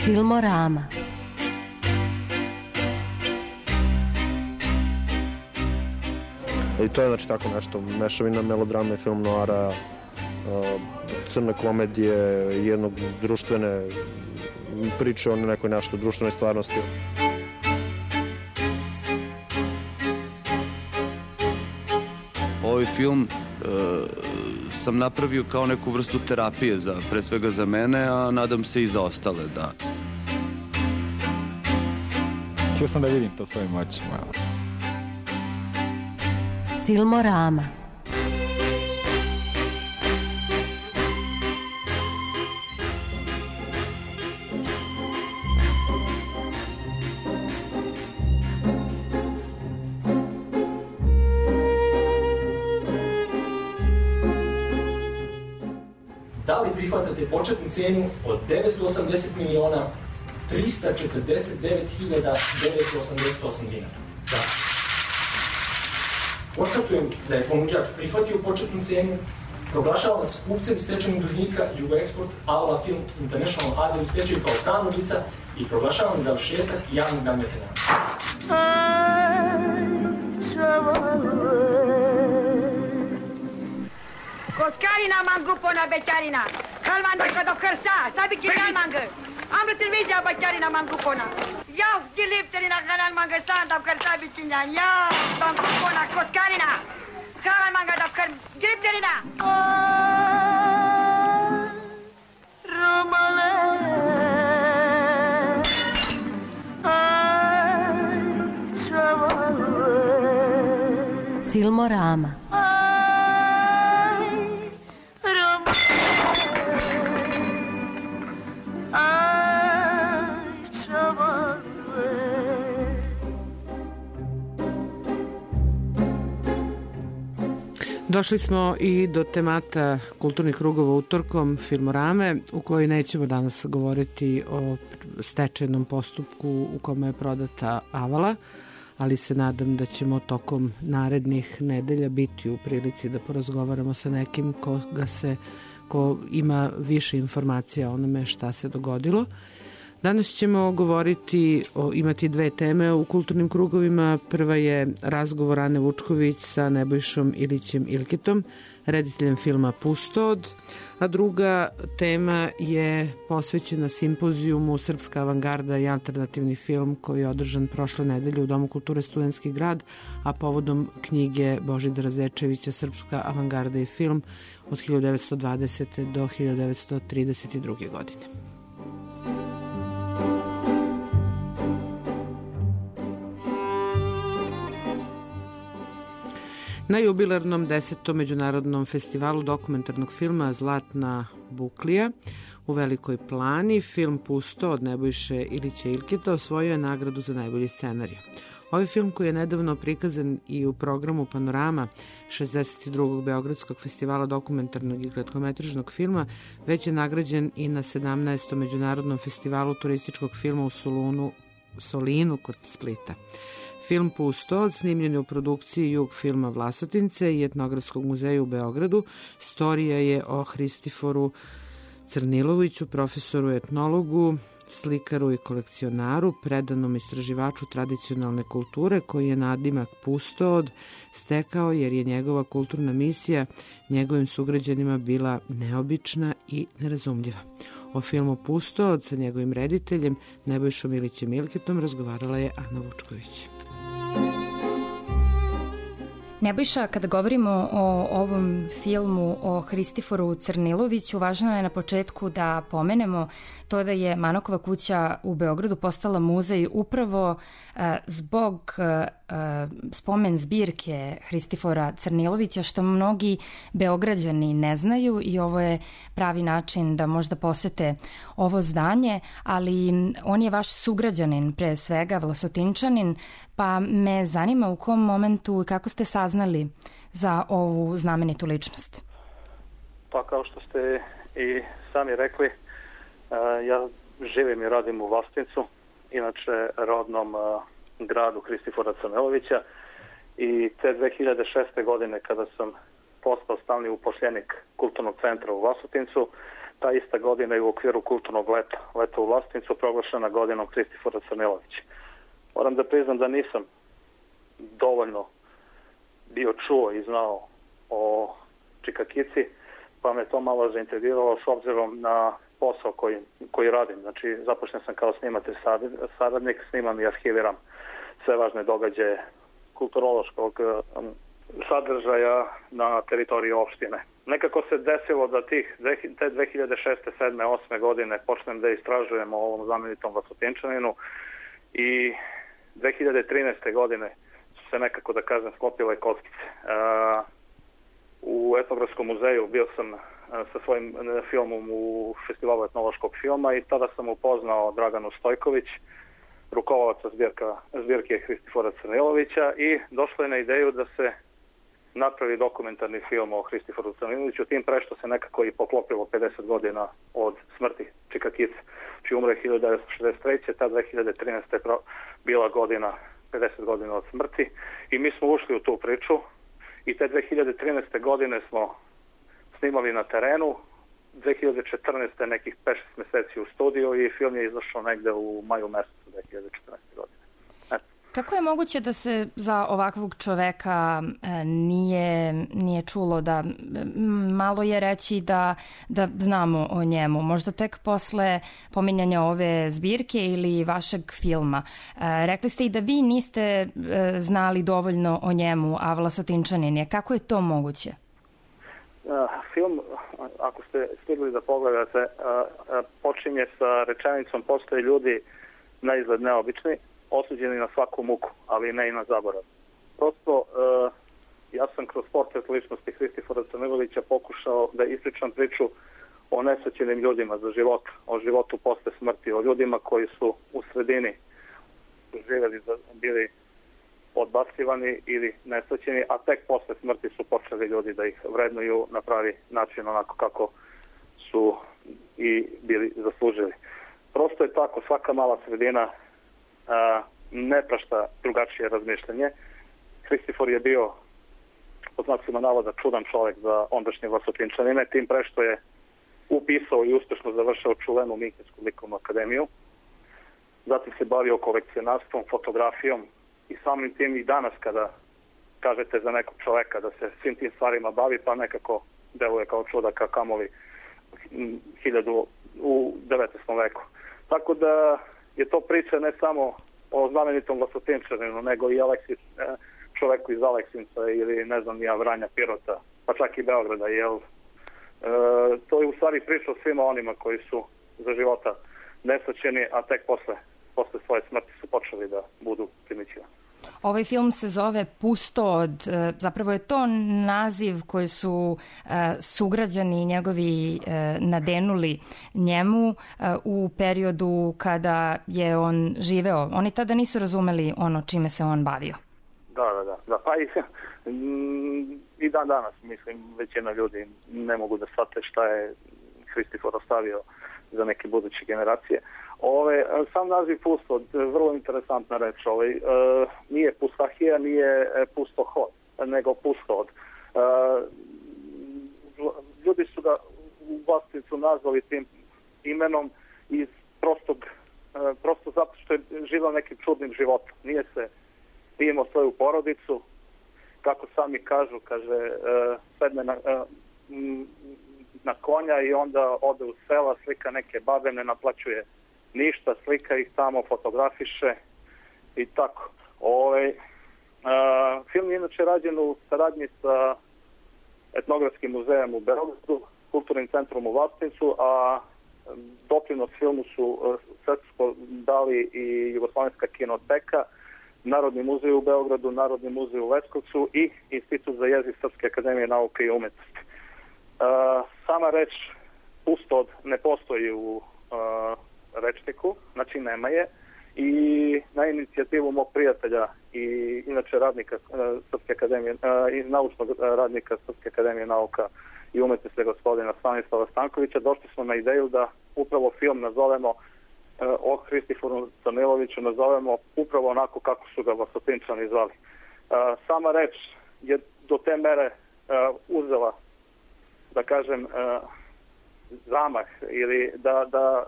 Filmorama. I to je znači tako nešto, mešavina melodrame, film noara, crne komedije, jednog društvene priče o nekoj nešto društvenoj stvarnosti. Ovaj film sam napravio kao neku vrstu terapije, pre svega za mene, a nadam se i za ostale, da. Htio sam da vidim to svojim očima. Filmorama. Da li prihvatate početnu cijenu od 980 miliona 349.988 dinara. Da. Konstatujem da je ponuđač prihvatio početnu cenu, proglašavam se kupcem stečajnog dužnika Jugoeksport Aula Film International AD u stečaju kao pravno lica i proglašavam završetak javnog nadmetanja. Koskarina mangupona bećarina, kalmandaka do krsta, sabiki kalmangı. Amrı televizya bećarina mangupona. Yav gilipterina kalmangı stand-up krsta biçinyan. Yav mangupona koskarina. Kalmangı da kır gilipterina. Romale. Filmorama. Došli smo i do temata kulturnih krugova utorkom Filmorame, u kojoj nećemo danas govoriti o stečajnom postupku u kome je prodata Avala, ali se nadam da ćemo tokom narednih nedelja biti u prilici da porazgovaramo sa nekim ko ima više informacija o onome šta se dogodilo. Danas ćemo imati dve teme u kulturnim krugovima. Prva je razgovor Ane Vučković sa Nebojšom Ilićem Ilketom, rediteljem filma Pustod, a druga tema je posvećena simpozijumu Srpska avangarda i alternativni film koji je održan prošle nedelje u Domu kulture Studentski grad, a povodom knjige Božidara Zečevića Srpska avangarda i film od 1920. do 1932. godine. Na jubilarnom 10. međunarodnom festivalu dokumentarnog filma Zlatna buklija u Velikoj Plani film Pusto od Nebojše Ilića Ilketa osvojio je nagradu za najbolji scenarij. Ovaj film koji je nedavno prikazan i u programu Panorama 62. Beogradskog festivala dokumentarnog i kratkometražnog filma već je nagrađen i na 17. međunarodnom festivalu turističkog filma u Solinu kod Splita. Film Pusto, snimljen je u produkciji Jug filma Vlasotince i Etnografskog muzeja u Beogradu, storija je o Hristiforu Crniloviću, profesoru etnologu, slikaru i kolekcionaru, predanom istraživaču tradicionalne kulture koji je nadimak Pustod stekao jer je njegova kulturna misija njegovim sugrađanima bila neobična i nerazumljiva. O filmu Pustod sa njegovim rediteljem Nebojšom Ilićem Ilketom razgovarala je Ana Vučković. Nebojša, kada govorimo o ovom filmu o Hristiforu Crniloviću, važno je na početku da pomenemo to da je Manokova kuća u Beogradu postala muzej upravo zbog spomen zbirke Hristifora Crnilovića, što mnogi Beograđani ne znaju i ovo je pravi način da možda posete ovo zdanje, ali on je vaš sugrađanin, pre svega Vlasotinčanin, pa me zanima u kom momentu i kako ste saznali za ovu znamenitu ličnost. Pa kao što ste i sami rekli, ja živim i radim u Vlasotincu, inače rodnom gradu Hristifora Crnilovića, i te 2006. godine kada sam postao stalni upošljenik Kulturnog centra u Vlasotincu, ta ista godina je u okviru kulturnog leta u Vlasotincu proglašena godinom Hristifora Crnilovića. Moram da priznam da nisam dovoljno bio čuo i znao o Čikakici, pa me to malo zainteresiralo s obzirom na posao koji radim. Znači, započnem sam kao snimatelj saradnik, snimam i arhiviram sve važne događaje kulturološkog sadržaja na teritoriji opštine. Nekako se desilo da te 2006. 7. 8. godine počnem da istražujem o ovom znamenitom Vlasotinčaninu i 2013. godine su se nekako, da kažem, sklopile kockice. U Etnografskom muzeju bio sam sa svojim filmom u festivalu etnološkog filma i tada sam upoznao Draganu Stojković, rukovalaca zbirke Hristifora Crnilovića, i došlo je na ideju da se napravi dokumentarni film o Hristiforu Crniloviću, tim pre što se nekako i poklopilo 50 godina od smrti Čika Kice, čiji umre 1963. Ta 2013. je bila godina, 50 godina od smrti i mi smo ušli u tu priču i te 2013. godine smo snimali na terenu, 2014. nekih 5-6 meseci u studiju i film je izašao negde u maju mesecu 2014. godine. Kako je moguće da se za ovakvog čoveka nije čulo, da malo je reći da znamo o njemu, možda tek posle pominjanja ove zbirke ili vašeg filma. Rekli ste i da vi niste znali dovoljno o njemu, a Vlasotinčanin je. Kako je to moguće? Film, ako ste stigli da pogledate, počinje sa rečenicom postoje ljudi na izgled neobični, osuđeni na svaku muku, ali ne i na zaborav. Prosto, ja sam kroz portret ličnosti Hristifora Crnilovića pokušao da ispričam priču o nesrećenim ljudima za život, o životu posle smrti, o ljudima koji su u sredini živjeli, bili odbacivani ili nesrećeni, a tek posle smrti su počeli ljudi da ih vrednuju na pravi način, onako kako su i bili zaslužili. Prosto je tako, svaka mala sredina ne prašta drugačije razmišljanje. Hristifor je bio, pod znacima navoda, čudan čovjek za ondašnje Vlasotinčanine, tim pre što je upisao i uspešno završao čuvenu Minhensku likovnu akademiju. Zatim se bavio kolekcionarstvom, fotografijom i samim tim i danas kada kažete za nekog čoveka da se svim tim stvarima bavi, pa nekako deluje kao čudaka, kamoli u 19. veku. Tako da je to priča ne samo o znamenitom Vlasotinčaninu, nego i čoveku iz Aleksinca ili ne znam ja, Vranja, Pirota, pa čak i Beograda, jel? To je u stvari priča o svima onima koji su za života nesrećeni, a tek posle svoje smrti su počeli da budu primićivani. Ovaj film se zove Pustod, zapravo je to naziv koji su sugrađani njegovi nadenuli njemu u periodu kada je on živeo. Oni tada nisu razumeli ono čime se on bavio. Da. Pa i dan danas, mislim, većina ljudi ne mogu da shvate šta je Hristifor ostavio za neke buduće generacije. Sam naziv Pustod, vrlo interesantna reč. Nije Pustahija, nije Pustohod, nego Pustod. Ljudi su ga u Vlasotincu nazvali tim imenom iz prosto zato što je živao nekim čudnim životom. Nije imao svoju porodicu, kako sami kažu, kaže, sedne na konja i onda ode u sela, slika neke babe, ne naplaćuje ništa, slika ih tamo, fotografiše i tako. Film je inače rađen u saradnji sa Etnografskim muzejem u Beogradu, Kulturnim centrom u Vlasotincu, a doprinos filmu su sredstvo dali i Jugoslovenska kinoteka, Narodni muzej u Beogradu, Narodni muzej u Leskovcu i Institut za jezik Srpske akademije nauke i umetnosti. Sama reč Pustod ne postoji u rečniku, znači nema je, i na inicijativu mog prijatelja i inače radnika Srpske akademije, i naučnog radnika Srpske akademije nauka i umetnosti gospodina Stanislava Stankovića, došli smo na ideju da upravo film nazovemo o Hristiforu Crniloviću, nazovemo upravo onako kako su ga Vlasotinčani zvali. Sama reč je do te mere uzela, da kažem, zamah ili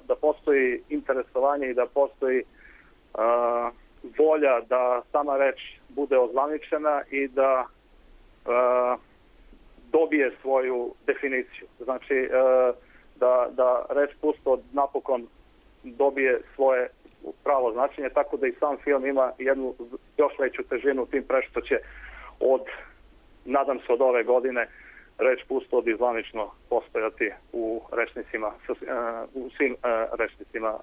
da postoji interesovanje i da postoji volja da sama reč bude ozvaničena i da dobije svoju definiciju. Znači da reč Pustod napokon dobije svoje pravo značenje, tako da i sam film ima jednu još veću težinu, tim pre što će nadam se od ove godine reč Pustod i zvanično postojati u rečnicima, u svim rečnicima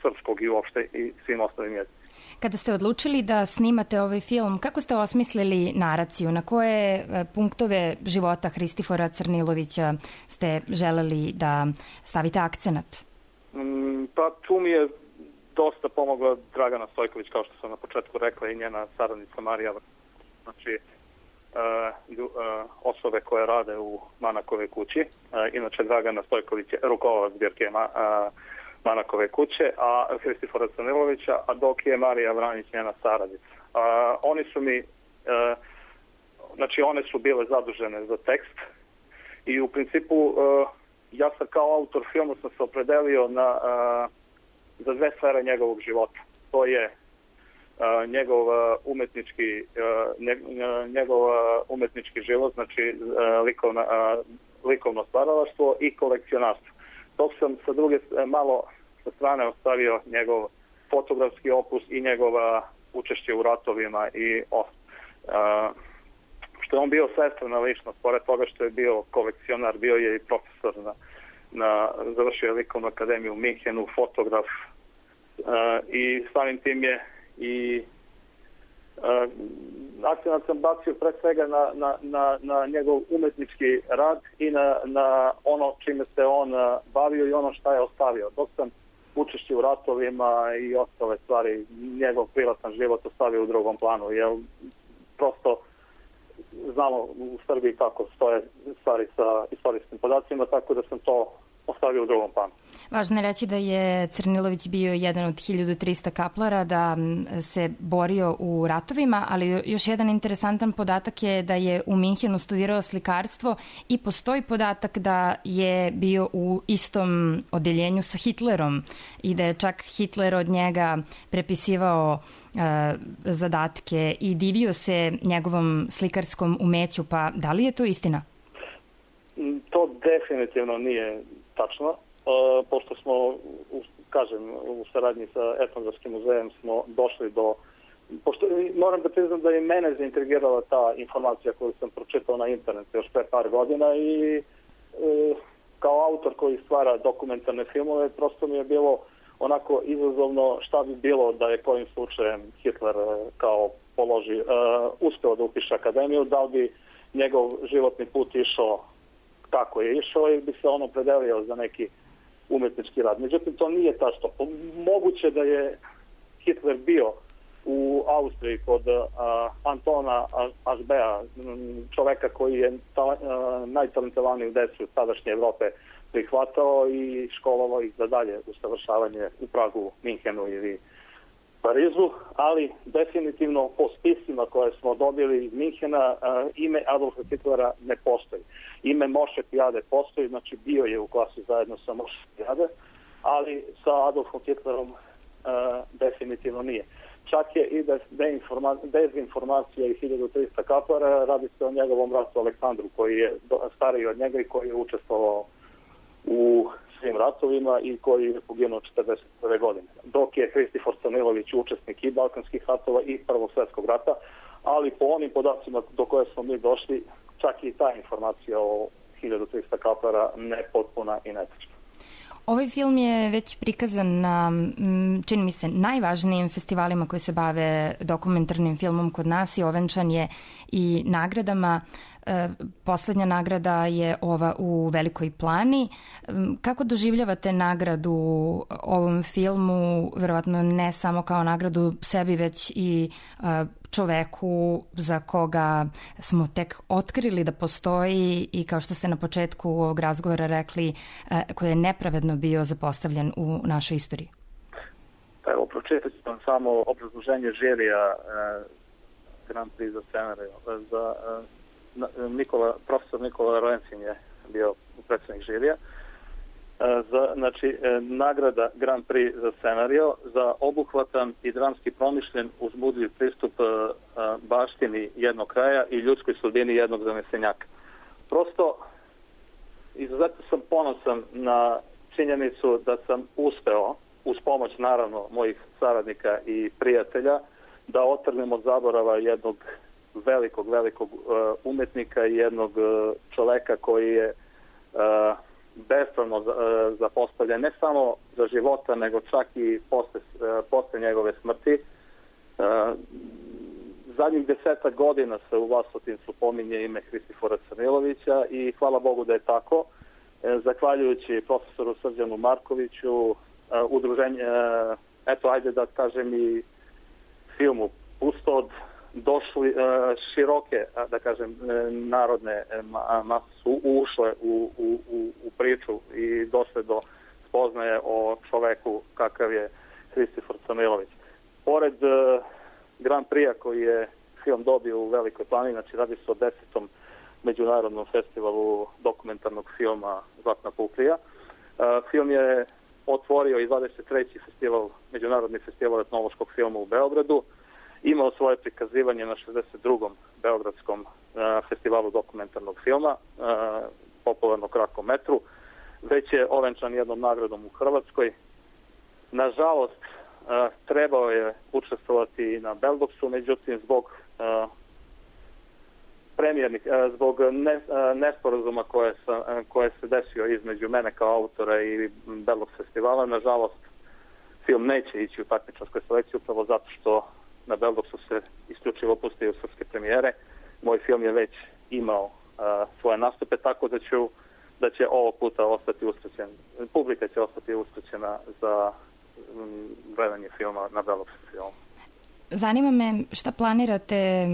srpskog i uopšte i svim ostalim jezicima. Kada ste odlučili da snimate ovaj film, kako ste osmislili naraciju? Na koje punktove života Hristifora Crnilovića ste želeli da stavite akcenat? Pa tu mi je dosta pomogla Dragana Stojković, kao što sam na početku rekla, i njena saradnica Marija. Znači, osobe koje rade u Manakove kući. Inače, Dragana Stojković je rukovalac zbirke Manakove kuće, a Hristifora Crnilovića, a dok je Marija Vranić njena saradnica. Oni su mi, znači one su bile zadužene za tekst i u principu ja sam kao autor filmu sam se opredelio za dve sfere njegovog života. To je njegov umetnički život, znači likovno stvaralaštvo i kolekcionarstvo. Dok sam sa druge malo sa strane ostavio njegov fotografski opus i njegova učešće u ratovima i što je on bio svestrana ličnost, pored toga što je bio kolekcionar, bio je i profesor završio je likovnu akademiju u Minhenu, fotograf i samim tim je i akcenat sam bacio pre svega na njegov umetnički rad i na ono čime se on bavio i ono šta je ostavio. Dok sam učešće u ratovima i ostale stvari, njegov privatan život ostavio u drugom planu, jer prosto znamo u Srbiji kako stoje stvari sa istorijskim podacima, tako da sam to ostavio u drugom planu. Važno je reći da je Crnilović bio jedan od 1300 kaplara, da se borio u ratovima, ali još jedan interesantan podatak je da je u Minhenu studirao slikarstvo i postoji podatak da je bio u istom odeljenju sa Hitlerom i da je čak Hitler od njega prepisivao zadatke i divio se njegovom slikarskom umeću, pa da li je to istina? To definitivno nije tačno, pošto smo, u saradnji sa Etnografskim muzejem smo došli do, pošto moram da priznam da je mene zaintrigirala ta informacija koju sam pročitao na internetu još pre par godina i kao autor koji stvara dokumentarne filmove, prosto mi je bilo onako izazovno šta bi bilo da je kojim slučajem Hitler kao uspeo da upiše akademiju, da li bi njegov životni put išao kako je išao i bi se on opredelio za neki umetnički rad. Međutim, to nije tačno. Moguće da je Hitler bio u Austriji kod Antona Aschbea, čoveka koji je najtalentovaniju decu tadašnje Evrope prihvatao i školovao ih za dalje usavršavanje u Pragu, Minhenu ili Parizu, ali definitivno po spisima koje smo dobili iz Minhena ime Adolfa Hitlera ne postoji. Ime Moše Pijade postoji, znači bio je u klasi zajedno sa Moše Pijade, ali sa Adolfom Hitlerom definitivno nije. Čak je i dezinformacija i 1300 kaplara, radi se o njegovom bratu Aleksandru koji je stariji od njega i koji je učestvovao u svim ratovima i koji je poginuo 1941. godine. Dok je Hristifor Crnilović učesnik i Balkanskih ratova i Prvog svjetskog rata, ali po onim podacima do koje smo mi došli, čak i ta informacija o 1300 kaplara nepotpuna i netačna. Ovaj film je već prikazan na, čini mi se, najvažnijim festivalima koji se bave dokumentarnim filmom kod nas i ovenčan je i nagradama. Poslednja nagrada je ova u Velikoj Plani. Kako doživljavate nagradu ovom filmu, verovatno ne samo kao nagradu sebi, već i čoveku za koga smo tek otkrili da postoji i kao što ste na početku ovog razgovora rekli, koji je nepravedno bio zapostavljen u našoj istoriji? Evo, pročitat ću vam samo obrazloženje žirija Grand Prix za scenariju. Profesor Nikola Roencin je bio predsjednik žirija. Znači, nagrada Grand Prix za scenario za obuhvatan i dramski promišljen uzbudljiv pristup baštini jednog kraja i ljudskoj sudbini jednog zanesenjaka. Prosto, izuzetno sam ponosan na činjenicu da sam uspeo, uz pomoć naravno mojih saradnika i prijatelja, da otrnem od zaborava jednog velikog umetnika i jednog čoveka koji je bespravno zapostavljen ne samo za života, nego čak i posle njegove smrti. Zadnjih 10 godina se u Vlasotincu pominje ime Hristifora Crnilovića i hvala Bogu da je tako. Zahvaljujući profesoru Srđanu Markoviću, udruženje, eto ajde da kažem i filmu Pustod, došli široke, da kažem, narodne mase su ušle u priču i došle do spoznaje o čoveku kakav je Hristifor Crnilović. Pored Grand Prix-a koji je film dobio u Velikoj Plani, znači radi se o 10. međunarodnom festivalu dokumentarnog filma Zlatna Puklija. Film je otvorio i 23. festival, međunarodni festival etnološkog filma u Beogradu. Imao svoje prikazivanje na 62. Beogradskom festivalu dokumentarnog filma, popularno kratkom metru. Već je ovenčan jednom nagradom u Hrvatskoj. Nažalost, trebao je učestvovati na Beldoksu, međutim zbog zbog nesporazuma koje se desio između mene kao autora i Beldoks festivala, nažalost film neće ići u takmičarskoj selekciji upravo zato što na Beldoksu se isključivo pustio srpske premijere. Moj film je već imao svoje nastupe, tako da će ovog puta ostati usrećen. Publika će ostati usrećena za gledanje filma na Beldoksu filmu. Zanima me šta planirate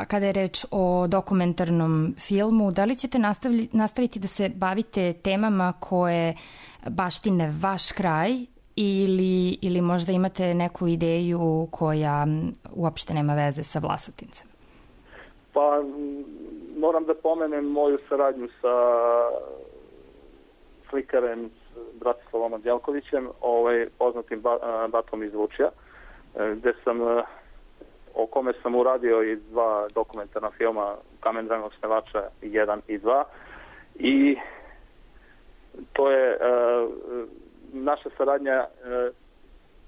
kada je reč o dokumentarnom filmu. Da li ćete nastaviti da se bavite temama koje baštine vaš kraj ili možda imate neku ideju koja uopšte nema veze sa Vlasotincem? Pa moram da pomenem moju saradnju sa slikarem Bratislavom Andjelkovićem, poznatim Batom iz Vučija, o kome sam uradio i 2 dokumentarna filma, Kamen Dragnog snevača 1 i 2. I to je, naša saradnja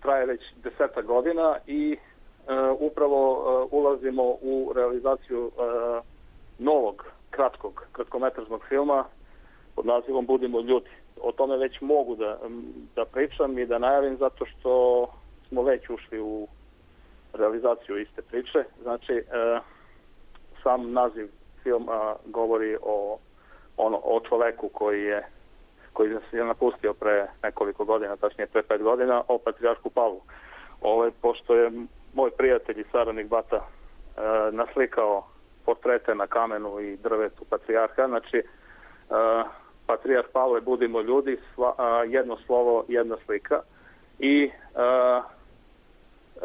traje već 10 godina i upravo ulazimo u realizaciju novog, kratkometražnog filma pod nazivom Budimo ljudi. O tome već mogu da pričam i da najavim zato što smo već ušli u realizaciju iste priče. Znači, sam naziv filma govori o čoveku koji se je napustio pre nekoliko godina, tačnije pre 5 godina, o patrijarhu Pavlu. Pošto je moj prijatelj i saradnik Bata naslikao portrete na kamenu i drvetu patrijarha, znači patrijarh Pavle, budimo ljudi, jedno slovo, jedna slika. I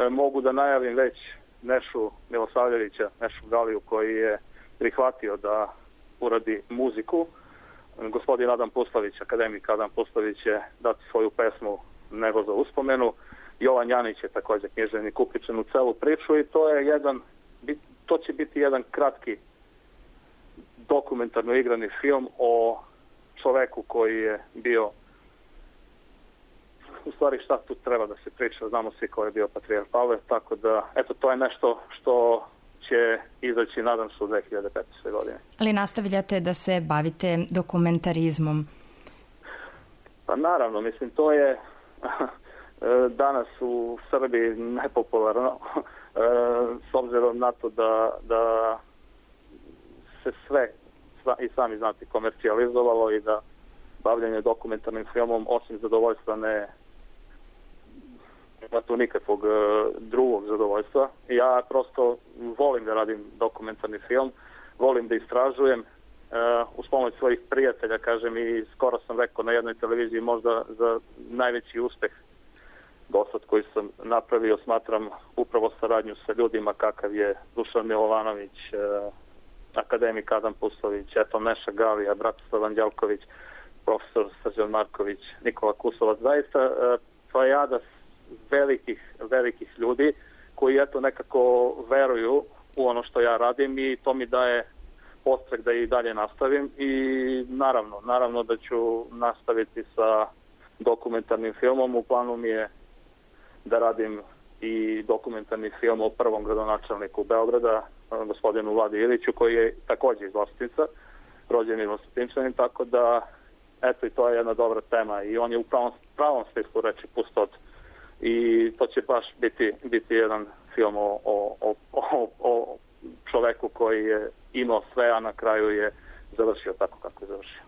mogu da najavim već Nešu Milosavljevića, Nešu Galiju, koji je prihvatio da uradi muziku. Gospodin Adam Puslavić, akademik Adam Puslavić, će dati svoju pesmu Nego za uspomenu. Jovan Janić je također književnik uključen u celu priču i to će biti jedan kratki dokumentarno igrani film o čoveku koji je bio, u stvari šta tu treba da se priča, znamo svi ko je bio patrijarh Pavle, tako da, eto, to je nešto što će izaći, nadam se, u 2015. godine. Ali nastavljate da se bavite dokumentarizmom? Pa naravno, mislim, to je danas u Srbiji nepopularno, s obzirom na to da se sve, i sami znate, komercijalizovalo i da bavljanje dokumentarnim filmom, osim zadovoljstva, nema tu nikakvog drugog zadovoljstva. Ja prosto volim da radim dokumentarni film, volim da istražujem, uz pomoć svojih prijatelja, kažem, i skoro sam rekao na jednoj televiziji, možda za najveći uspeh dosad koji sam napravio, smatram upravo saradnju sa ljudima kakav je Dušan Milovanović, akademik Adam Pustović, eto Neša Galija, Bratislav Andjelković, profesor Srđan Marković, Nikola Kusovac, zaista plejada velikih ljudi koji eto nekako veruju u ono što ja radim i to mi daje podstrek da i dalje nastavim i naravno da ću nastaviti sa dokumentarnim filmom. U planu mi je da radim i dokumentarni film o prvom gradonačelniku Beograda, gospodinu Vladi Iliću, koji je također iz Vlasotinca, rođeni Vlasotinčanin, tako da eto i to je jedna dobra tema i on je u pravom smislu reči pustot i to će baš biti jedan film o čoveku koji je imao sve, a na kraju je završio tako kako je završio.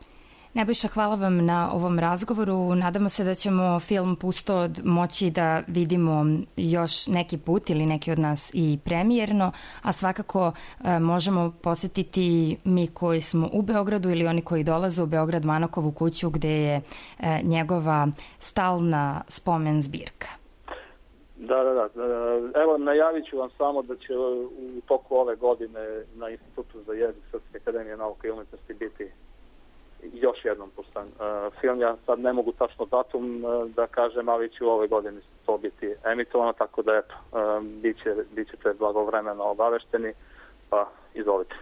Nebojša, hvala vam na ovom razgovoru. Nadamo se da ćemo film Pustod moći da vidimo još neki put ili neki od nas i premijerno, a svakako možemo posetiti mi koji smo u Beogradu ili oni koji dolaze u Beograd Manokovu kuću gde je njegova stalna spomen zbirka. Da. Evo, najavit ću vam samo da će u toku ove godine na Institutu za jezik Srpske akademije nauke i umetnosti biti još jednom pustan film. Ja sad ne mogu tačno datum da kažem, ali će u ove godine to biti emitovano, tako da eto, bit ćete blagovremeno obavešteni, pa izvolite.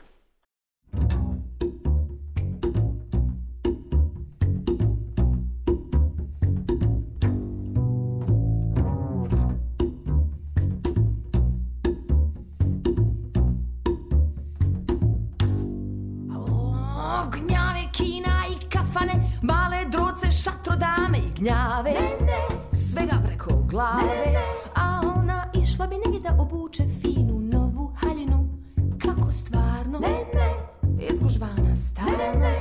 Male droce, šatro dame i gnjave, svega preko glave. A ona išla bi negdje da obuče finu novu haljinu. Kako stvarno, izgužvana stalna.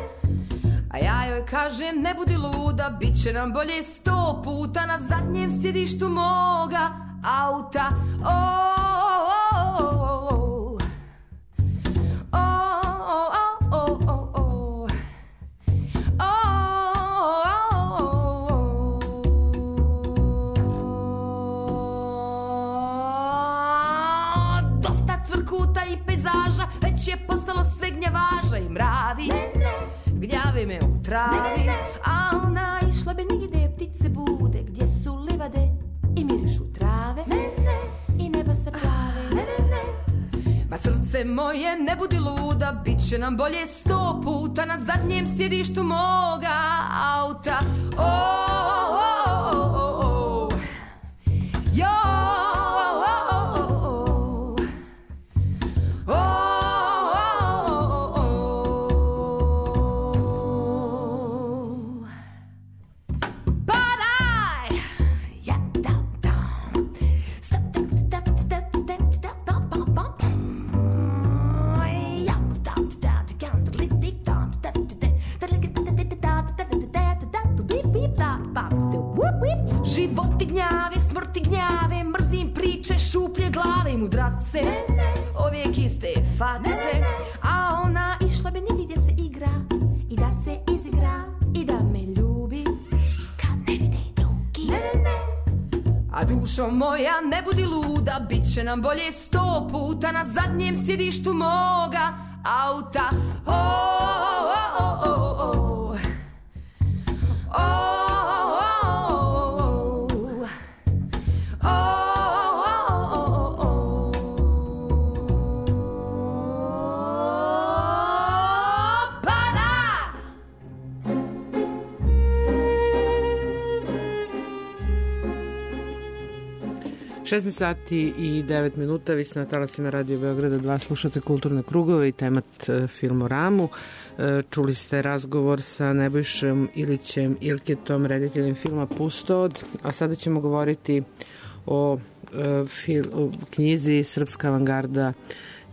A ja joj kažem, ne budi luda, bit će nam bolje 100 puta na zadnjem sjedištu moga auta. Već je postalo sve gnjavaža i mravi. Gnjavi me u travi. A ona išla bi nigde ptice bude, gdje su livade i mirišu trave. I neba se plave. Ma srce moje, ne budi luda, bit će nam bolje 100 puta na zadnjem sjedištu moga auta. Životi gnjave, smrti gnjave, mrzim priče, šuplje glave i mudrace, uvijek iste face. A ona išla bi negdje gdje se igra i da se izigra i da me ljubi kad ne vide drugi. A dušo moja, ne budi luda, bit će nam bolje 100 puta na zadnjem sjedištu moga auta. sati i 9 minuta, vi ste na talasima Radio Beograda 2, slušate Kulturne krugove i temat Filmoramu. Čuli ste razgovor sa Nebojšom Ilićem Ilketom, rediteljem filma Pustod, a sada ćemo govoriti o knjizi Srpska avangarda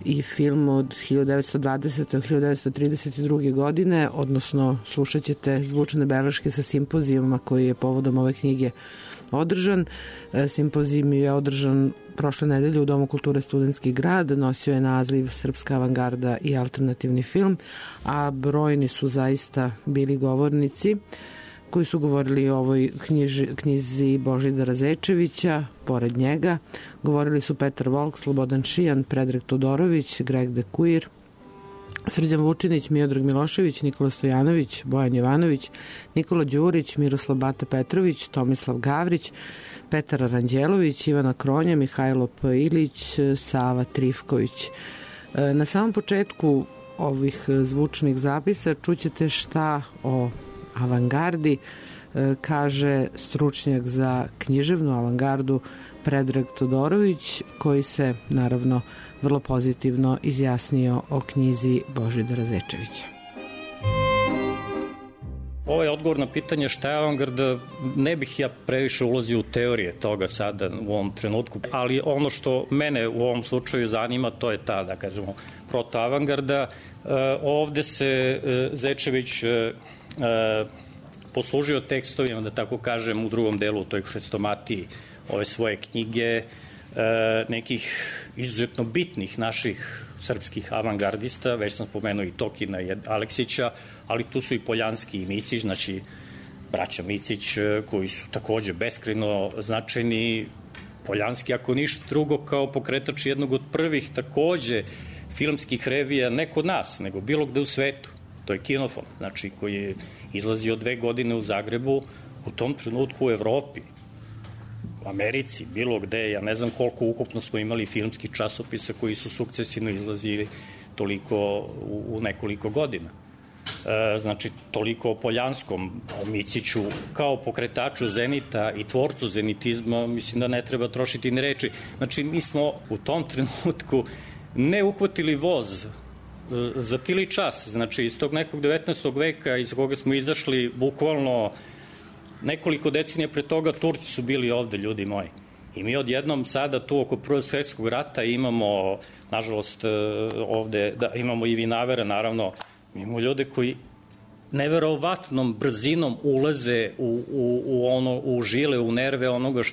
i film od 1920. do 1932. godine, odnosno slušat ćete zvučne beleške sa simpozijuma koji je povodom ove knjige održan. Simpozijum je održan prošle nedelje u Domu kulture Studentski grad, nosio je naziv Srpska avangarda i alternativni film, a brojni su zaista bili govornici koji su govorili o ovoj knjizi Božidara Zečevića. Pored njega govorili su Petar Volk, Slobodan Šijan, Predrag Todorović, Greg Dekuir, Srđan Vučinić, Miodrag Milošević, Nikola Stojanović, Bojan Jovanović, Nikola Đurić, Miroslav Bata Petrović, Tomislav Gavrić, Petar Aranđelović, Ivana Kronja, Mihajlo P. Ilić, Sava Trifković. Na samom početku ovih zvučnih zapisa čućete šta o avangardi kaže stručnjak za književnu avangardu Predrag Todorović, koji se naravno vrlo pozitivno izjasnio o knjizi Božidara Zečevića. Ovo je odgovor na pitanje šta je avangarda. Ne bih ja previše ulazio u teorije toga sada u ovom trenutku, ali ono što mene u ovom slučaju zanima, to je ta, da kažemo, protoavangarda. Ovde se Zečević poslužio tekstovima, da tako kažem, u drugom delu, u toj hrestomatiji ove svoje knjige, nekih izuzetno bitnih naših srpskih avangardista, već sam spomenuo i Tokina i Aleksića, ali tu su i Poljanski i Micić, znači braća Micić, koji su takođe beskrajno značajni. Poljanski, ako ništa drugo, kao pokretač jednog od prvih takođe filmskih revija, ne kod nas, nego bilo gde u svetu. To je Kinofon, znači, koji je izlazio 2 godine u Zagrebu, u tom trenutku u Evropi, u Americi, bilo gde, ja ne znam koliko ukupno smo imali filmskih časopisa koji su sukcesivno izlazili toliko u nekoliko godina. Znači, toliko o Poljanskom, o Miciću, kao pokretaču Zenita i tvorcu zenitizma, mislim da ne treba trošiti ni reči. Znači, mi smo u tom trenutku ne uhvatili voz, zapili čas, znači iz tog nekog 19. veka iz koga smo izašli bukvalno nekoliko decenija pre toga, Turci su bili ovde, ljudi moji. I mi odjednom sada tu oko Prvog svjetskog rata imamo, nažalost, ovde, da, imamo i vinavere, naravno, imamo ljude koji neverovatnom brzinom ulaze u žile, u nerve onoga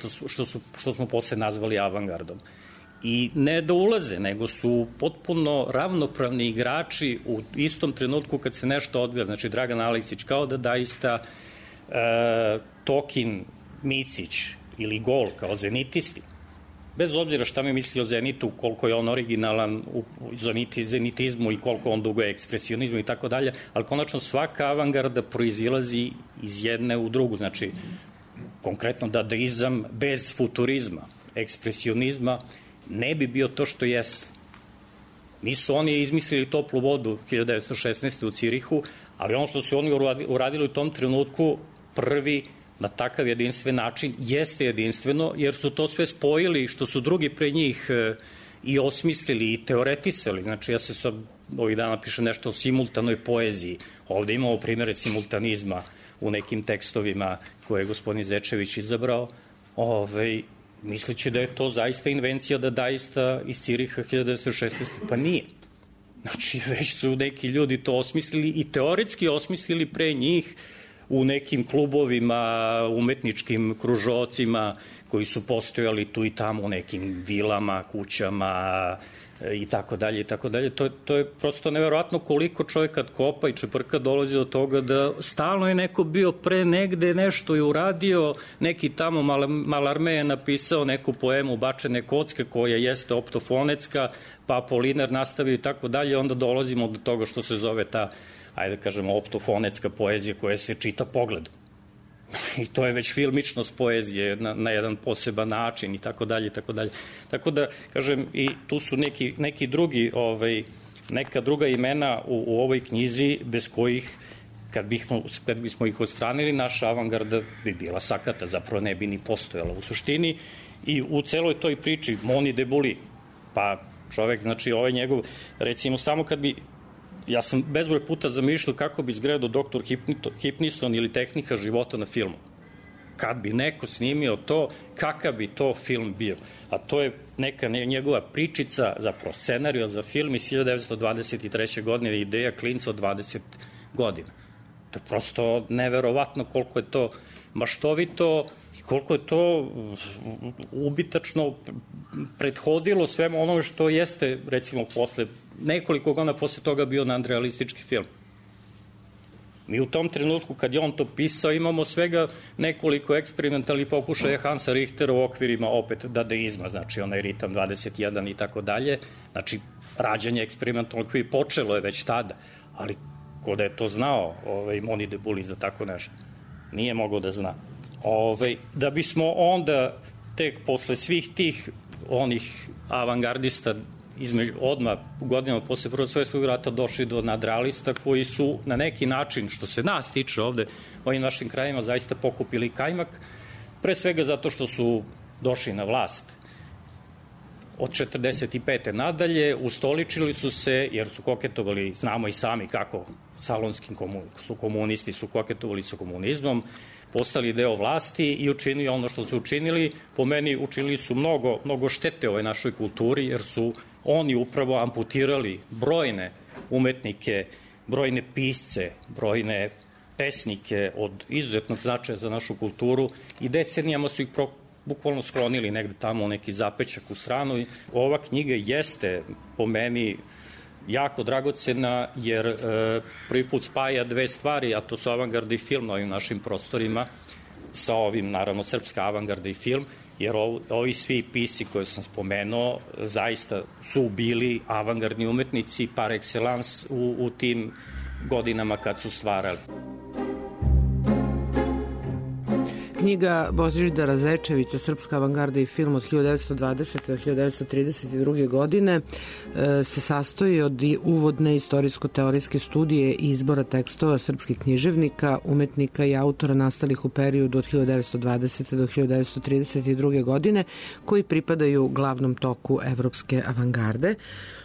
što smo posle nazvali avangardom. I ne da ulaze, nego su potpuno ravnopravni igrači u istom trenutku kad se nešto odvija. Znači, Dragan Aleksić, kao da daista Tokin, Micić ili Gol kao zenitisti, bez obzira šta mi misli o Zenitu, koliko je on originalan u zenitizmu i koliko on dugo je ekspresionizmu i tako dalje, ali konačno svaka avangarda proizilazi iz jedne u drugu. Znači, konkretno dadaizam bez futurizma, ekspresionizma, ne bi bio to što jeste. Nisu oni izmislili toplu vodu 1916. u Cirihu, ali ono što su oni uradili u tom trenutku, prvi na takav jedinstven način, jeste jedinstveno, jer su to sve spojili što su drugi pre njih i osmislili i teoretisali. Znači, ja se sad ovih dana pišem nešto o simultanoj poeziji. Ovde imamo primere simultanizma u nekim tekstovima koje je gospodin Zečević izabrao, misleći da je to zaista invencija da daista iz Ciriha 1916. Pa nije. Znači, već su neki ljudi to osmislili i teoretski osmislili pre njih u nekim klubovima, umetničkim kružocima koji su postojali tu i tamo u nekim vilama, kućama i tako dalje i tako dalje. To je prosto neverovatno koliko čovjek kad kopa i čeprka dolazi do toga da stalno je neko bio pre negde, nešto je uradio, neki tamo Malarme je napisao neku poemu Bačene kocke koja jeste optofonetska, pa Apolinar nastavio i tako dalje, onda dolazimo do toga što se zove ta, ajde kažemo, optofonetska poezija koja se čita pogledom. I to je već filmičnost poezije na jedan poseban način i tako dalje i tako dalje. Tako da, kažem, i tu su neki drugi, neka druga imena u ovoj knjizi bez kojih, kad bismo ih odstranili, naša avangarda bi bila sakata, zapravo ne bi ni postojala u suštini. I u celoj toj priči Moni de Buli, pa čovek, znači ovaj njegov, recimo samo kad bi, ja sam bezbroj puta zamišljao kako bi izgledao Doktor Hipnison ili Tehnika života na filmu. Kad bi neko snimio to, kakav bi to film bio. A to je neka njegova pričica, zapravo scenario za film iz 1923. godine, ideja klinca od 20 godina. To je prosto neverovatno koliko je to maštovito i koliko je to ubitačno prethodilo svemu onome što jeste, recimo, posle nekoliko godina posle toga bio nadrealistički film. Mi u tom trenutku, kad je on to pisao, imamo svega nekoliko eksperimentalnih pokušaja Hansa Richtera u okvirima opet dadaizma, znači onaj ritam 21 i tako dalje. Znači, rađanje eksperimentalnog koji počelo je već tada, ali ko da je to znao, Moni de Buli, za tako nešto. Nije mogao da zna. Da bismo onda tek posle svih tih onih avangardista odmah godinama posle Prvog svjetskog rata došli do nadrealista koji su na neki način, što se nas tiče ovde u ovim našim krajima, zaista pokupili kajmak, pre svega zato što su došli na vlast od 45. nadalje, ustoličili su se jer su koketovali, znamo i sami kako salonskim komunisti su koketovali sa komunizmom, postali deo vlasti i učinili ono što su učinili. Po meni učinili su mnogo štete ovoj našoj kulturi, jer su oni upravo amputirali brojne umetnike, brojne pisce, brojne pesnike od izuzetnog značaja za našu kulturu i decenijama su ih bukvalno sklonili negde tamo u neki zapečak u stranu. Ova knjiga jeste po meni jako dragocena jer prvi put spaja dve stvari, a to su avangarda i film na ovim našim prostorima, sa ovim, naravno, srpska avangarda i film, jer ovi svi pisci koje sam spomenuo zaista su bili avangardni umetnici par excellence u tim godinama kad su stvarali. Knjiga Božidara Zečevića, Srpska avangarda i film od 1920. do 1932. godine se sastoji od uvodne istorijsko-teorijske studije i izbora tekstova srpskih književnika, umetnika i autora nastalih u periodu od 1920. do 1932. godine, koji pripadaju glavnom toku evropske avangarde.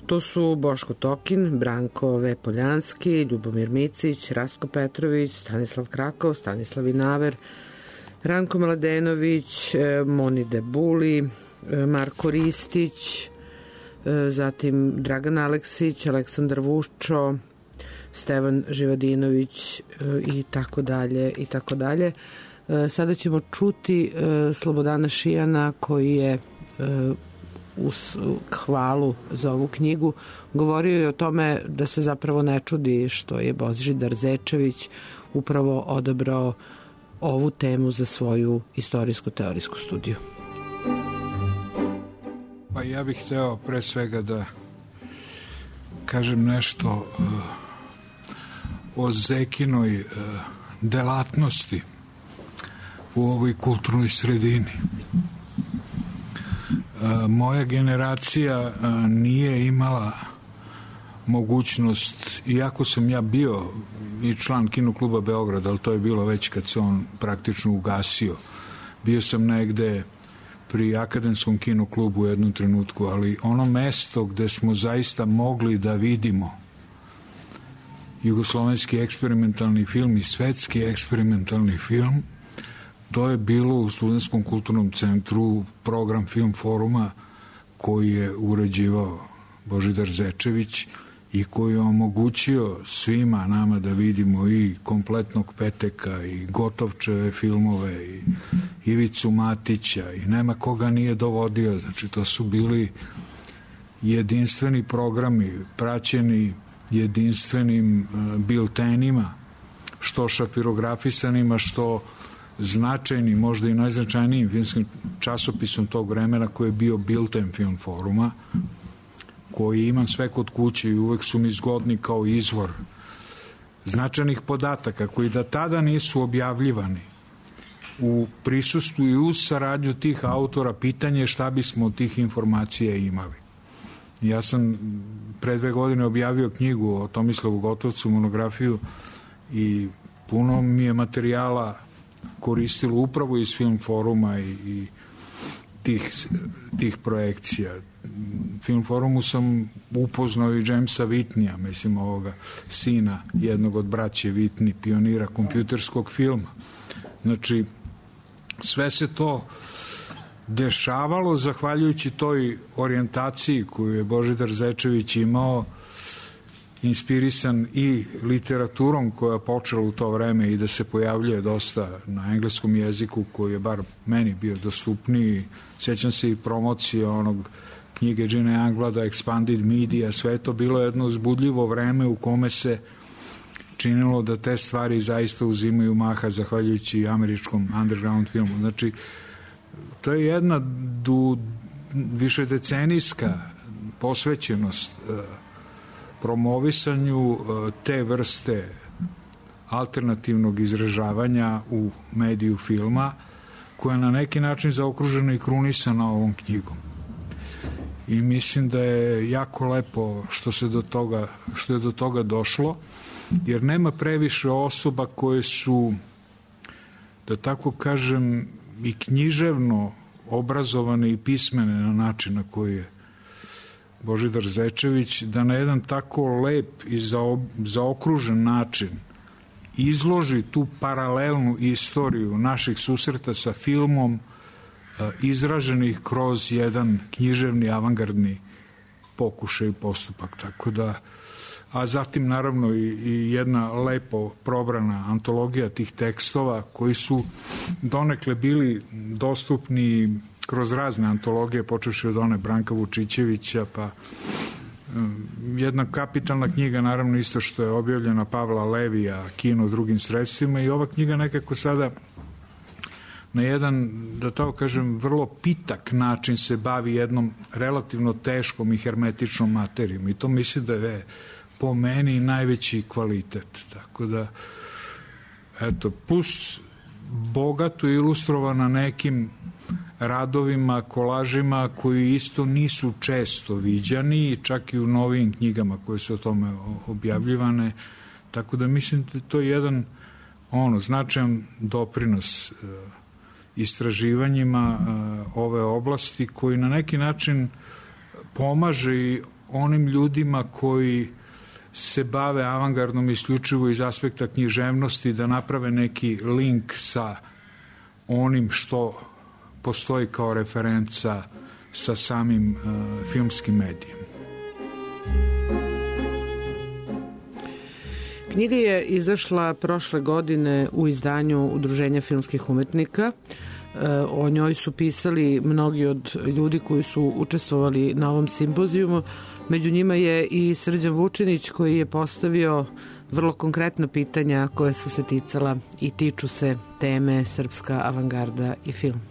To su Boško Tokin, Branko V. Poljanski, Ljubomir Micić, Rastko Petrović, Stanislav Krakov, Stanislav Inaver, Ranko Mladenović, Moni Debuli, Marko Ristić, zatim Dragan Aleksić, Aleksandar Vuščo, Stevan Živadinović i tako dalje i tako dalje. Sada ćemo čuti Slobodana Šijana koji je uz hvalu za ovu knjigu govorio je o tome da se zapravo ne čudi što je Božidar Zečević upravo odabrao ovu temu za svoju istorijsko-teorijsku studiju. Pa ja bih hteo pre svega da kažem nešto o Zekinoj delatnosti u ovoj kulturnoj sredini. Moja generacija nije imala mogućnost, iako sam ja bio i član Kinokluba Beograd, ali to je bilo već kad se on praktično ugasio. Bio sam negde pri Akademskom kinoklubu u jednom trenutku, ali ono mesto gde smo zaista mogli da vidimo jugoslovenski eksperimentalni film i svetski eksperimentalni film, to je bilo u Studentskom kulturnom centru program Film foruma koji je uređivao Božidar Zečević i koji je omogućio svima nama da vidimo i Kompletnog Peteka i Gotovčeve filmove i Ivicu Matića i nema koga nije dovodio. Znači to su bili jedinstveni programi praćeni jedinstvenim biltenima, što šapirografisanima, što značajnim, možda i najznačajnijim filmskim časopisom tog vremena koji je bio Bilten Film foruma, koji imam sve kod kuće i uvek su mi zgodni kao izvor značajnih podataka koji da tada nisu objavljivani u prisustvu i uz saradnju tih autora. Pitanje je šta bismo od tih informacija imali. Ja sam pre 2 godine objavio knjigu o Tomislavu Gotovcu, monografiju, i puno mi je materijala koristilo upravo iz Film foruma i tih projekcija. Film forumu sam upoznao i Jamesa Whitneya, mislim ovoga sina jednog od braće Whitney, pionira kompjuterskog filma. Znači, sve se to dešavalo zahvaljujući toj orijentaciji koju je Božidar Zečević imao, inspirisan i literaturom koja je počela u to vreme i da se pojavljuje dosta na engleskom jeziku, koji je bar meni bio dostupniji. Sjećam se i promocije onog knjige Gina Youngblada, Expanded Media, sve to bilo jedno uzbudljivo vreme u kome se činilo da te stvari zaista uzimaju maha zahvaljujući američkom underground filmu. Znači, to je jedna višedecenijska posvećenost promovisanju te vrste alternativnog izražavanja u mediju filma, koja je na neki način zaokružena i krunisana ovom knjigom. I mislim da je jako lepo što je do toga došlo, jer nema previše osoba koje su, da tako kažem, i književno obrazovane i pismene na način na koji je Božidar Zečević, da na jedan tako lep i zaokružen način izloži tu paralelnu istoriju naših susreta sa filmom, izraženih kroz jedan književni avangardni pokušaj i postupak. Tako da a zatim naravno i jedna lepo probrana antologija tih tekstova koji su donekle bili dostupni kroz razne antologije, počevši od one Branka Vučićevića, pa jedna kapitalna knjiga, naravno isto što je objavljena Pavla Levija, Kino drugim sredstvima, i ova knjiga nekako sada na jedan, da tako kažem, vrlo pitak način se bavi jednom relativno teškom i hermetičnom materijom, i to mislim da je po meni najveći kvalitet. Tako da, eto, plus bogato ilustrovana nekim radovima, kolažima koji isto nisu često viđani, čak i u novijim knjigama koje su o tome objavljivane, tako da mislim da to je jedan značajan doprinos istraživanjima ove oblasti, koji na neki način pomaže i onim ljudima koji se bave avangardnom isključivo iz aspekta književnosti, da naprave neki link sa onim što postoji kao referenca sa samim filmskim medijem. Knjiga je izašla prošle godine u izdanju Udruženja filmskih umetnika. O njoj su pisali mnogi od ljudi koji su učestvovali na ovom simpozijumu. Među njima je i Srđan Vučinić, koji je postavio vrlo konkretna pitanja koje su se ticala i tiču se teme srpska avangarda i film.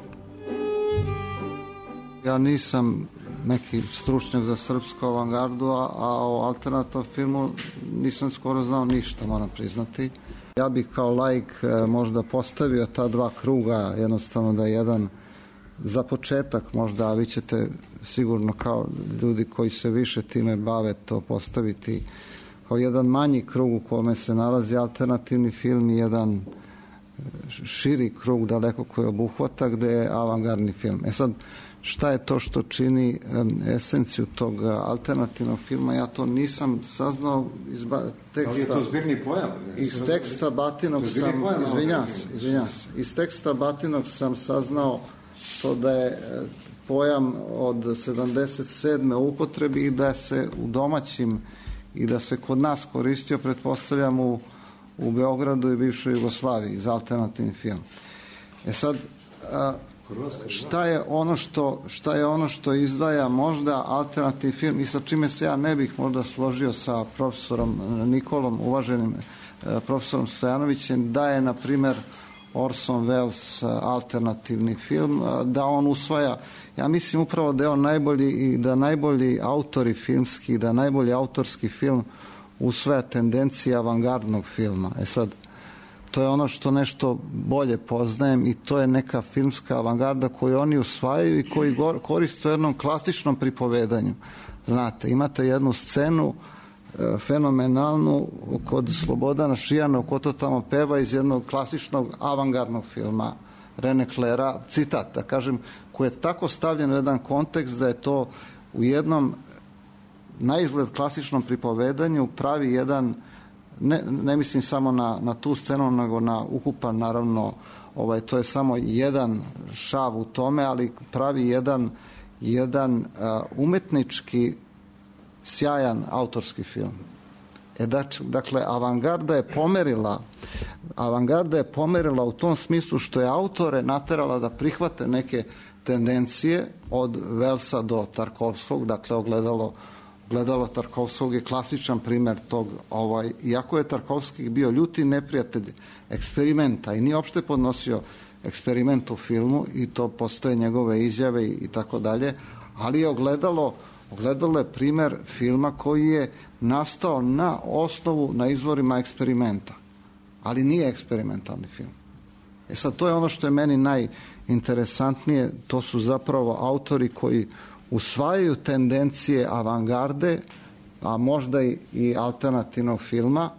Ja nisam neki stručnjak za srpsku avangardu, a o alternativnom filmu nisam skoro znao ništa, moram priznati. Ja bih kao laik možda postavio ta dva kruga, jednostavno da jedan za početak možda, a vi ćete sigurno kao ljudi koji se više time bave to postaviti kao jedan manji krug u kome se nalazi alternativni film i jedan širi krug daleko koji obuhvata gde je avangardni film. Sad, šta je to što čini esenciju tog alternativnog filma? Ja to nisam saznao iz teksta. Ali je to zbirni pojam? Iz teksta Batinog sam, izvinjam se, iz teksta Batinog sam saznao to da je pojam od 77. u upotrebi i da se u domaćim i da se kod nas koristio, pretpostavljam, u Beogradu i bivšoj Jugoslaviji za alternativni film. Sad, šta je ono što izdvaja možda alternativni film i sa čime se ja ne bih možda složio sa profesorom Nikolom, uvaženim profesorom Stojanovićem, da je, na primer, Orson Welles alternativni film, da on usvaja, ja mislim upravo da je on najbolji i da najbolji autori filmski, da najbolji autorski film usvaja tendencije avangardnog filma. Sad, to je ono što nešto bolje poznajem i to je neka filmska avangarda koju oni usvajaju i koji koriste u jednom klasičnom pripovedanju. Znate, imate jednu scenu fenomenalnu kod Slobodana Šijana ko to tamo peva iz jednog klasičnog avangardnog filma Rene Claira, citat, da kažem, koji je tako stavljen u jedan kontekst da je to u jednom na izgled klasičnom pripovedanju pravi jedan, ne mislim samo na tu scenu, nego na ukupan, naravno, to je samo jedan šav u tome, ali pravi jedan umetnički sjajan autorski film. Dakle, avangarda je pomerila u tom smislu što je autore naterala da prihvate neke tendencije od Wellesa do Tarkovskog, dakle ogledalo Tarkovskog je klasičan primer tog, iako je Tarkovski bio ljuti neprijatelj eksperimenta i nije opšte podnosio eksperiment u filmu i to postoje njegove izjave i tako dalje, ali je ogledalo je primer filma koji je nastao na osnovu, na izvorima eksperimenta, ali nije eksperimentalni film. Sad, to je ono što je meni najinteresantnije, to su zapravo autori koji usvajaju tendencije avangarde, a možda i alternativnog filma,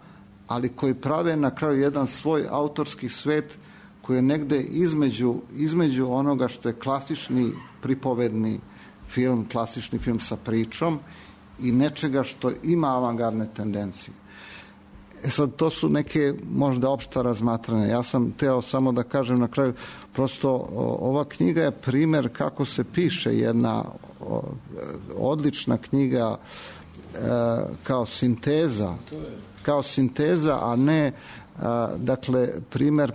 ali koji prave na kraju jedan svoj autorski svet koji je negde između onoga što je klasični pripovedni film, klasični film sa pričom i nečega što ima avangardne tendencije. Sad, to su neke možda opšta razmatranja. Ja sam teo samo da kažem na kraju, prosto ova knjiga je primer kako se piše jedna odlična knjiga kao sinteza, a ne dakle primer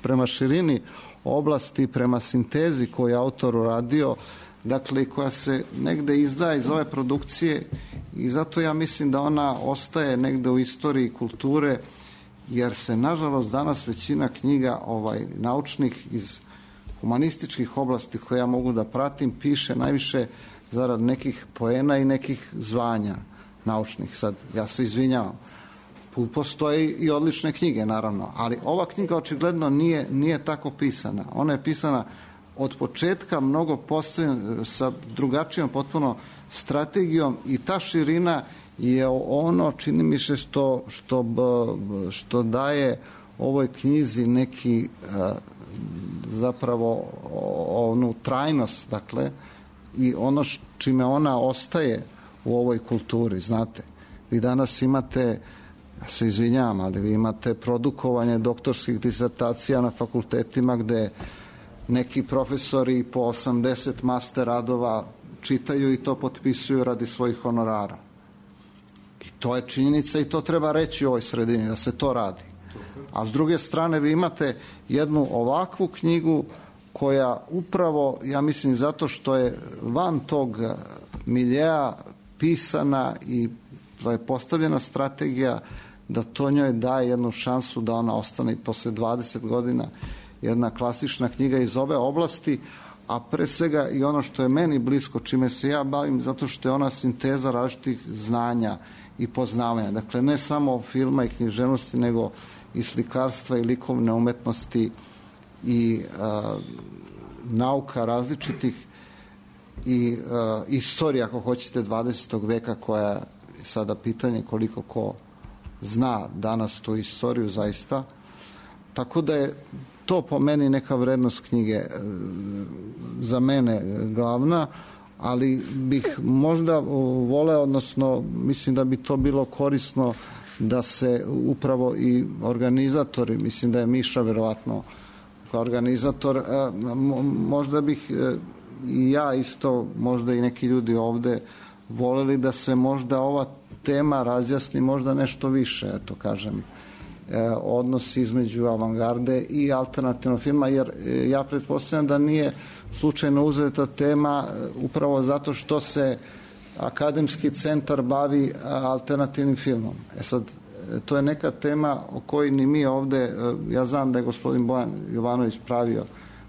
prema širini oblasti, prema sintezi koju je autor uradio, dakle koja se negde izdaje iz ove produkcije, i zato ja mislim da ona ostaje negde u istoriji kulture, jer se nažalost danas većina knjiga naučnih iz humanističkih oblasti koje ja mogu da pratim piše najviše zarad nekih poena i nekih zvanja naučnih. Sad, ja se izvinjavam. Postoje i odlične knjige, naravno, ali ova knjiga očigledno nije tako pisana. Ona je pisana od početka mnogo postavljena sa drugačijom potpuno strategijom, i ta širina je ono, čini mi se, što daje ovoj knjizi neki zapravo onu trajnost, dakle, i ono čime ona ostaje u ovoj kulturi. Znate, vi danas imate, ja se izvinjavam, ali vi imate produkovanje doktorskih disertacija na fakultetima gde neki profesori po 80 master radova čitaju i to potpisuju radi svojih honorara. I to je činjenica i to treba reći u ovoj sredini, da se to radi. A s druge strane vi imate jednu ovakvu knjigu koja upravo, ja mislim, zato što je van tog miljea pisana i da je postavljena strategija, da to njoj daje jednu šansu da ona ostane i posle 20 godina jedna klasična knjiga iz ove oblasti, a pre svega i ono što je meni blisko, čime se ja bavim, zato što je ona sinteza različitih znanja i poznavanja. Dakle, ne samo filma i književnosti, nego i slikarstva i likovne umetnosti i nauka različitih i istorija, ako hoćete, 20. veka, koja je sada pitanje koliko ko zna danas tu istoriju zaista. Tako da je to po meni neka vrednost knjige za mene glavna, ali bih možda voleo, odnosno mislim da bi to bilo korisno da se upravo i organizatori, mislim da je Miša verovatno kao organizator, možda bih i ja isto, možda i neki ljudi ovde voleli da se možda ova tema razjasni možda nešto više, eto kažem, odnos između avangarde i alternativnog filma, jer ja pretpostavljam da nije slučajno uzeta tema upravo zato što se akademski centar bavi alternativnim filmom. Sad, to je neka tema o kojoj ni mi ovde, ja znam da je gospodin Bojan Jovanović pravio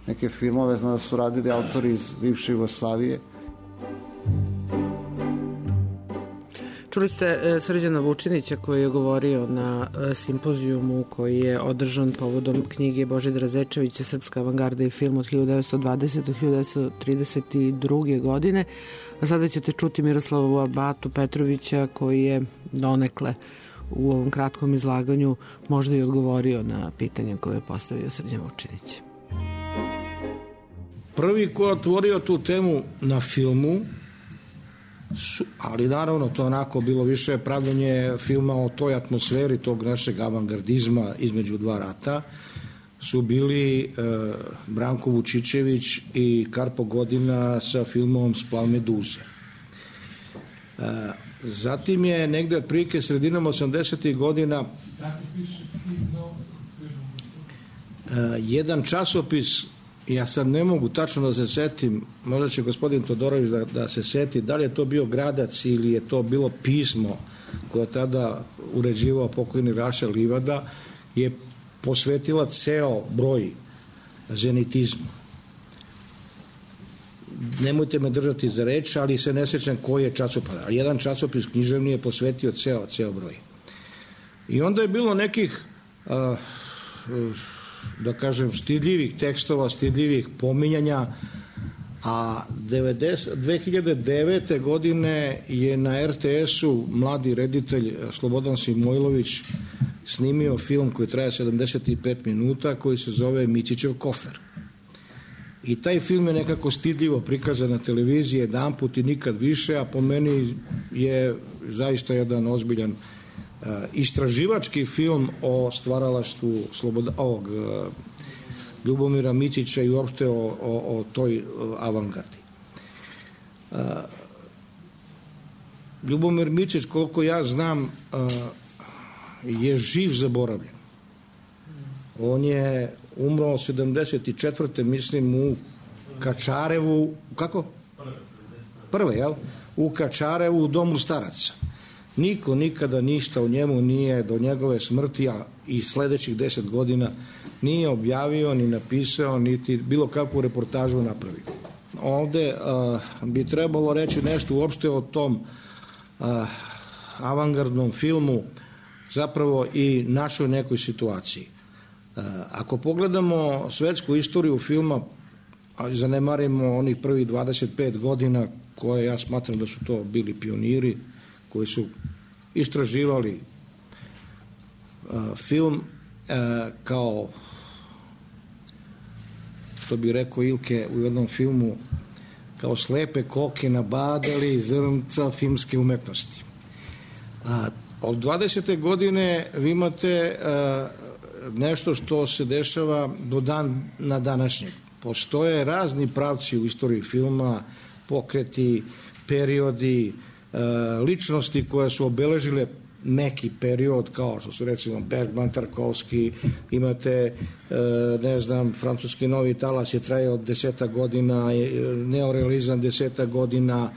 neke filmove, znam da su radili autori iz bivše Jugoslavije. Čuli ste Srđana Vučinića koji je govorio na simpozijumu koji je održan povodom knjige Božidara Zečevića Srpska avangarda i film od 1920. do 1932. godine. A sada ćete čuti Miroslava Batu Petrovića koji je donekle u ovom kratkom izlaganju možda i odgovorio na pitanje koje je postavio Srđan Vučinić. Prvi ko je otvorio tu temu na filmu, ali naravno to onako bilo više pravljenje filma o toj atmosferi tog našeg avangardizma između dva rata, su bili Branko Vučićević i Karpo Godina sa filmom Splav meduze. Zatim je negde otprilike sredinom 80. godina jedan časopis, ja sad ne mogu tačno da se setim, možda će gospodin Todorović da se seti, da li je to bio Gradac ili je to bilo pismo koje je tada uređivao pokojni Raša Livada, je posvetila ceo broj zenitizmu. Nemojte me držati za reč, ali se ne sećam koji je časopis. Ali jedan časopis književni je posvetio ceo broj. I onda je bilo nekih da kažem stidljivih tekstova, stidljivih pominjanja, a 2009. godine je na RTS-u mladi reditelj Slobodan Simojlović snimio film koji traje 75 minuta koji se zove Micićev kofer. I taj film je nekako stidljivo prikazan na televiziji jedanput i nikad više, a po meni je zaista jedan ozbiljan istraživački film o stvaralaštvu ovog Ljubomira Micića i uopšte o toj avangardi. Ljubomir Mičić, koliko ja znam, je živ zaboravljen. On je umro 74. mislim u Kačarevu, kako? Prve, jel? U Kačarevu u domu staraca. Niko nikada ništa o njemu nije do njegove smrti, a i sledećih 10 godina nije objavio, ni napisao, niti bilo kakvu reportažu napravio. Ovde bi trebalo reći nešto uopšte o tom avangardnom filmu, zapravo i našoj nekoj situaciji. Ako pogledamo svetsku istoriju filma, a zanemarimo onih prvih 25 godina koje ja smatram da su to bili pioniri koji su istraživali film kao, što bi rekao Ilke u jednom filmu, kao slepe koke nabadali zrnca filmske umetnosti. Od 20. godine vi imate nešto što se dešava do na današnjeg. Postoje razni pravci u istoriji filma, pokreti, periodi, ličnosti koje su obeležile neki period, kao što su recimo Bergman, Tarkovski, imate, ne znam, francuski novi talas je trajao 10 godina, neorealizam 10 godina,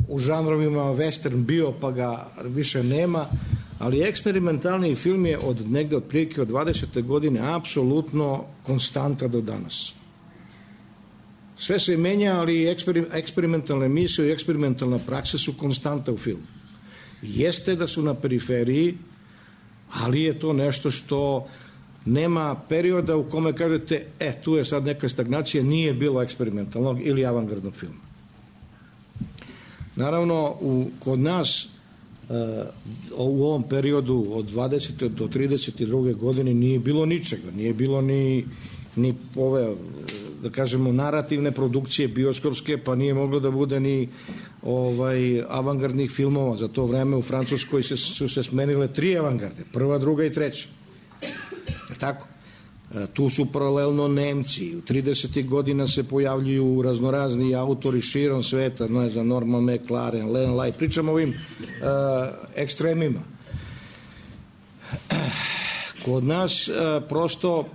u žanrovima western bio pa ga više nema, ali eksperimentalni film je od negde otprilike od 20. godine apsolutno konstanta do danas. Sve se menja, ali eksperimentalne emisije i eksperimentalna praksa su konstanta u filmu. Jeste da su na periferiji, ali je to nešto što nema perioda u kome kažete, tu je sad neka stagnacija, nije bilo eksperimentalnog ili avangardnog filma. Naravno, kod nas u ovom periodu od 20. do 32. godine nije bilo ničega, nije bilo ni ove, da kažemo, narativne produkcije bioskopske, pa nije moglo da bude ni avangardnih filmova. Za to vreme u Francuskoj su se smenile 3 avangarde, prva, druga i treća. Je tako? Tu su paralelno Nemci. U 30. godina se pojavljuju raznorazni autori širom sveta, ne znam, Norman McLaren, Len Lai, pričamo o ovim ekstremima. Kod nas prosto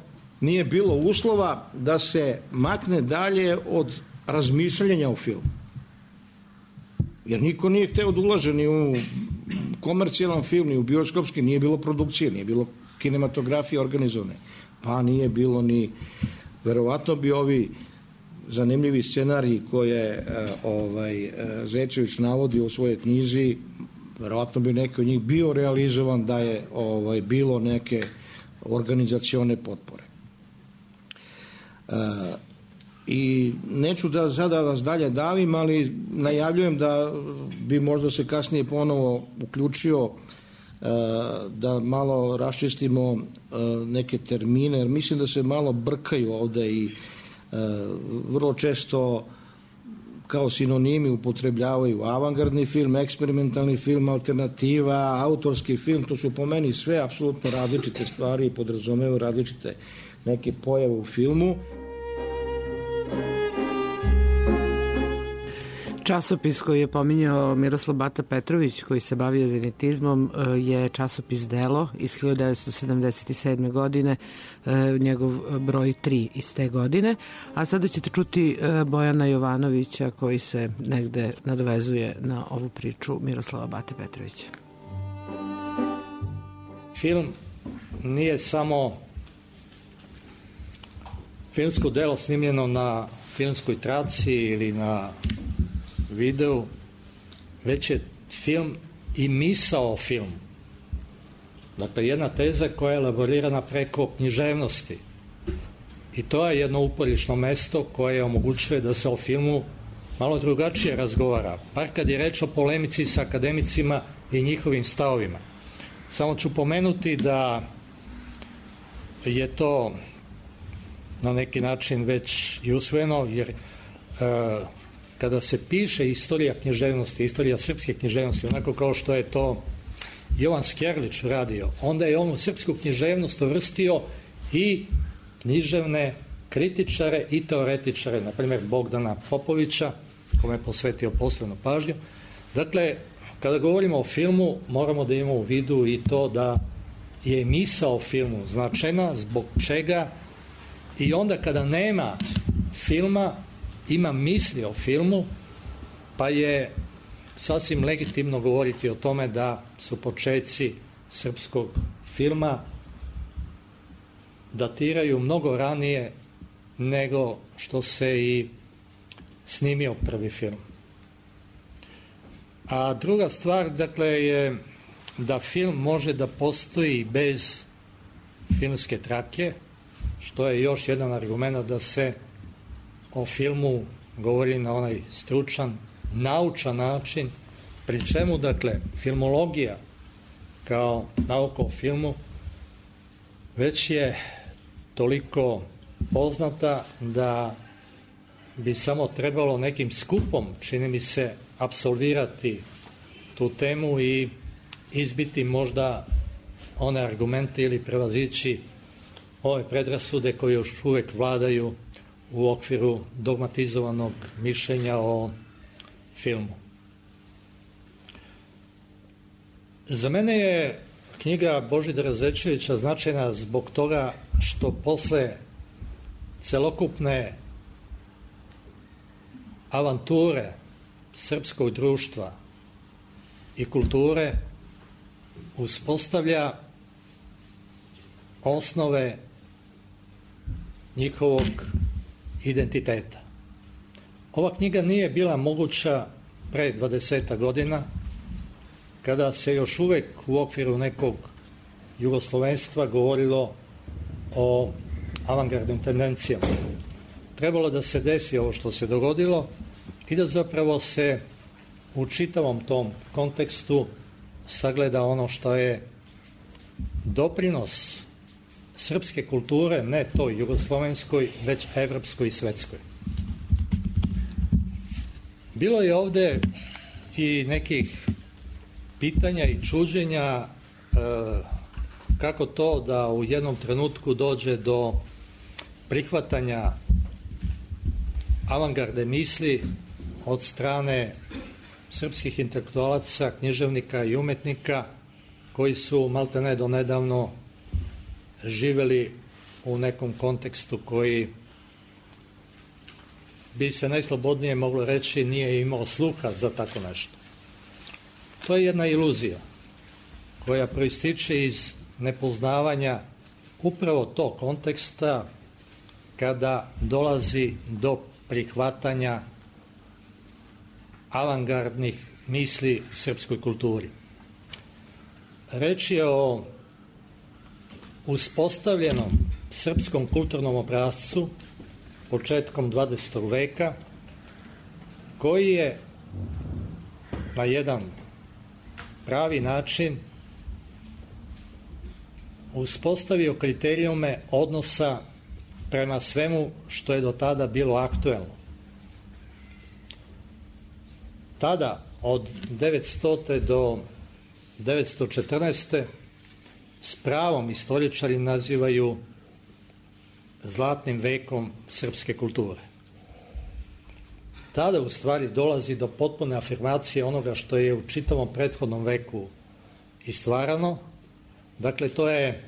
nije bilo uslova da se makne dalje od razmišljanja o filmu. Jer niko nije hteo da ulaže ni u komercijalan film, ni u bioskopski, nije bilo produkcije, nije bilo kinematografije organizovane. Pa nije bilo ni, verovatno bi ovi zanimljivi scenariji koje Zečević navodi u svojoj knjizi, verovatno bi neki od njih bio realizovan da je bilo neke organizacione potpore. I neću da sada vas dalje davim, ali najavljujem da bi možda se kasnije ponovo uključio da malo raščistimo neke termine, jer mislim da se malo brkaju ovde i vrlo često kao sinonimi upotrebljavaju avangardni film, eksperimentalni film, alternativa, autorski film. To su po meni sve apsolutno različite stvari i podrazumevaju različite neke pojave u filmu. Časopis koji je pominjao Miroslav Bata Petrović, koji se bavio zenitizmom, je časopis Delo iz 1977. godine, njegov broj 3 iz te godine. A sada ćete čuti Bojana Jovanovića koji se negde nadovezuje na ovu priču Miroslava Bate Petrovića. Film nije samo filmsko delo snimljeno na filmskoj traci ili na videu, već je film i misao o filmu. Dakle, jedna teza koja je elaborirana preko književnosti. I to je jedno uporišno mesto koje omogućuje da se o filmu malo drugačije razgovara. Par kad je reč o polemici sa akademicima i njihovim stavovima. Samo ću pomenuti da je to na neki način već i usvojeno, jer kada se piše istorija književnosti, istorija srpske književnosti, onako kao što je to Jovan Skerlić radio, onda je on u srpsku književnost uvrstio i književne kritičare i teoretičare, na primjer Bogdana Popovića, kome je posvetio posebnu pažnju, Dakle, kada govorimo o filmu, moramo da imamo u vidu i to da je misao o filmu značajna, zbog čega i onda kada nema filma, ima misli o filmu, pa je sasvim legitimno govoriti o tome da su počeci srpskog filma datiraju mnogo ranije nego što se i snimio prvi film. A druga stvar, dakle, je da film može da postoji bez filmske trake, što je još jedan argument da se o filmu govori na onaj stručan, naučan način, pri čemu, dakle, filmologija kao nauka o filmu već je toliko poznata da bi samo trebalo nekim skupom, čini mi se, apsolvirati tu temu i izbiti možda one argumente ili prevazići ove predrasude koje još uvek vladaju u okviru dogmatizovanog mišljenja o filmu. Za mene je knjiga Božidara Zečevića značajna zbog toga što posle celokupne avanture srpskog društva i kulture uspostavlja osnove njihovog identiteta. Ova knjiga nije bila moguća pre 20 godina, kada se još uvek u okviru nekog jugoslovenstva govorilo o avangardnim tendencijama. Trebalo da se desi ovo što se dogodilo i da zapravo se u čitavom tom kontekstu sagleda ono što je doprinos srpske kulture, ne toj jugoslovenskoj, već evropskoj i svetskoj. Bilo je ovde i nekih pitanja i čuđenja kako to da u jednom trenutku dođe do prihvatanja avangarde misli od strane srpskih intelektualaca, književnika i umetnika koji su maltene do nedavno živeli u nekom kontekstu koji bi se najslobodnije moglo reći nije imao sluha za tako nešto. To je jedna iluzija koja proističe iz nepoznavanja upravo tog konteksta kada dolazi do prihvatanja avangardnih misli u srpskoj kulturi. Reč je o uspostavljenom srpskom kulturnom obrascu početkom 20. veka koji je na jedan pravi način uspostavio kriterijume odnosa prema svemu što je do tada bilo aktuelno. Tada, od 900. do 914. s pravom istoričari nazivaju zlatnim vekom srpske kulture. Tada u stvari dolazi do potpune afirmacije onoga što je u čitavom prethodnom veku istvarano. Dakle, to je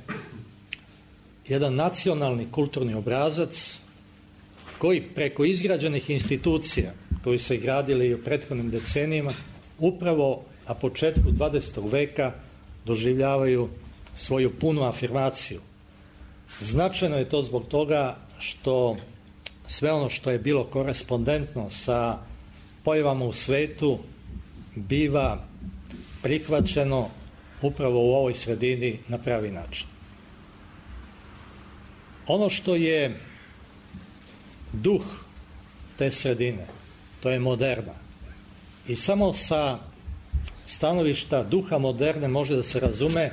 jedan nacionalni kulturni obrazac koji preko izgrađenih institucija koji se gradili u prethodnim decenijima upravo na početku 20. veka doživljavaju svoju punu afirmaciju. Značajno je to zbog toga što sve ono što je bilo korespondentno sa pojavama u svetu biva prihvaćeno upravo u ovoj sredini na pravi način. Ono što je duh te sredine, to je moderna. I samo sa stanovišta duha moderne može da se razume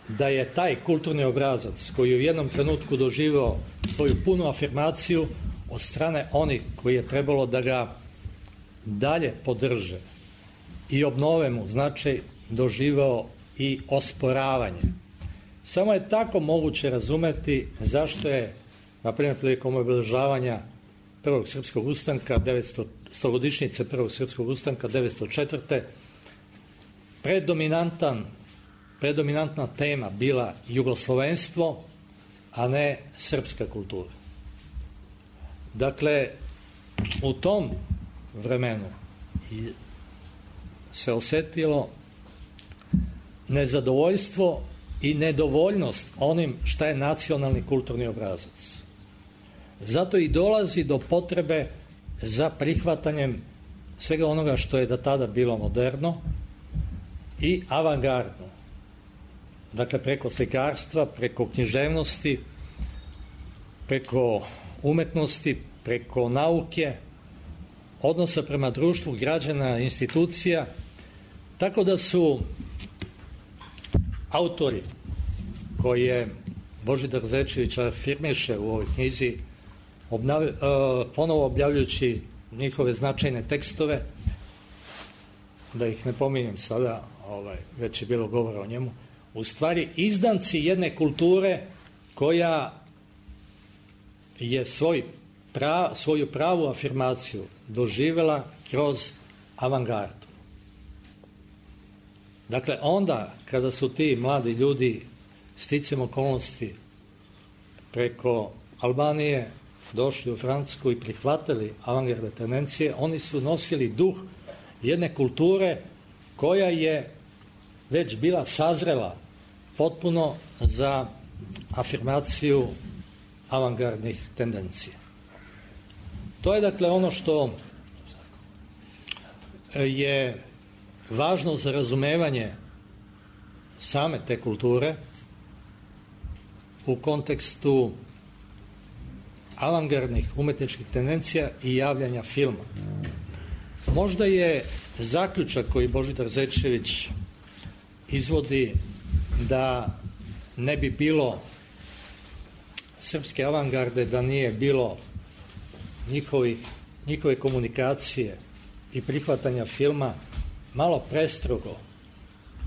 da je taj kulturni obrazac koji je u jednom trenutku doživeo svoju punu afirmaciju od strane onih koji je trebalo da ga dalje podrže i obnove mu, znači doživeo i osporavanje. Samo je tako moguće razumeti zašto je, na primjer, prilikom obeležavanja prvog srpskog ustanka, 100-godišnjice prvog srpskog ustanka 1904. Predominantna tema bila jugoslovenstvo, a ne srpska kultura. Dakle, u tom vremenu se osetilo nezadovoljstvo i nedovoljnost onim šta je nacionalni kulturni obrazac. Zato i dolazi do potrebe za prihvatanjem svega onoga što je do tada bilo moderno i avangardno. Dakle, preko slikarstva, preko književnosti, preko umetnosti, preko nauke, odnosa prema društvu, građana, institucija, tako da su autori koje Božidar Zečević afirmiše u ovoj knjizi, ponovo objavljujući njihove značajne tekstove, da ih ne pominjem sada, već je bilo govora o njemu, u stvari izdanci jedne kulture koja je svoju pravu afirmaciju doživjela kroz avangardu. Dakle, onda kada su ti mladi ljudi sticam okolnosti preko Albanije došli u Francusku i prihvatili avangardne tendencije, oni su nosili duh jedne kulture koja je već bila sazrela potpuno za afirmaciju avangardnih tendencija. To je dakle ono što je važno za razumevanje same te kulture u kontekstu avangardnih umetničkih tendencija i javljanja filma. Možda je zaključak koji Božidar Zečević izvodi da ne bi bilo srpske avangarde, da nije bilo njihove komunikacije i prihvatanja filma malo prestrogo,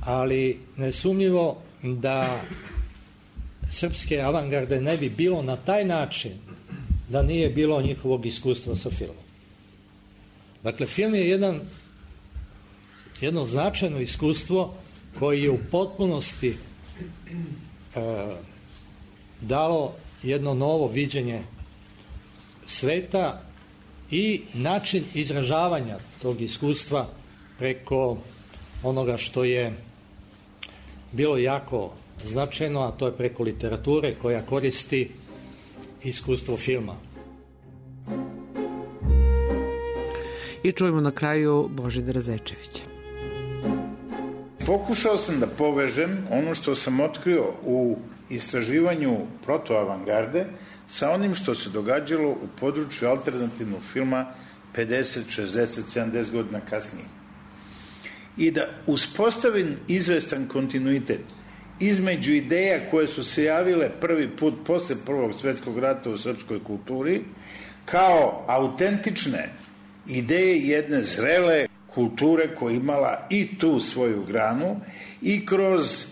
ali nesumnjivo da srpske avangarde ne bi bilo na taj način da nije bilo njihovog iskustva sa filmom. Dakle, film je jedno značajno iskustvo koje je u potpunosti dalo jedno novo viđenje sveta i način izražavanja tog iskustva preko onoga što je bilo jako značajno, a to je preko literature koja koristi iskustvo filma. I čujemo na kraju Božidara Zečevića. Pokušao sam da povežem ono što sam otkrio u istraživanju protoavangarde sa onim što se događalo u području alternativnog filma 50, 60, 70 godina kasnije. I da uspostavim izvestan kontinuitet između ideja koje su se javile prvi put posle Prvog svjetskog rata u srpskoj kulturi kao autentične ideje jedne zrele kulture koja imala i tu svoju granu i kroz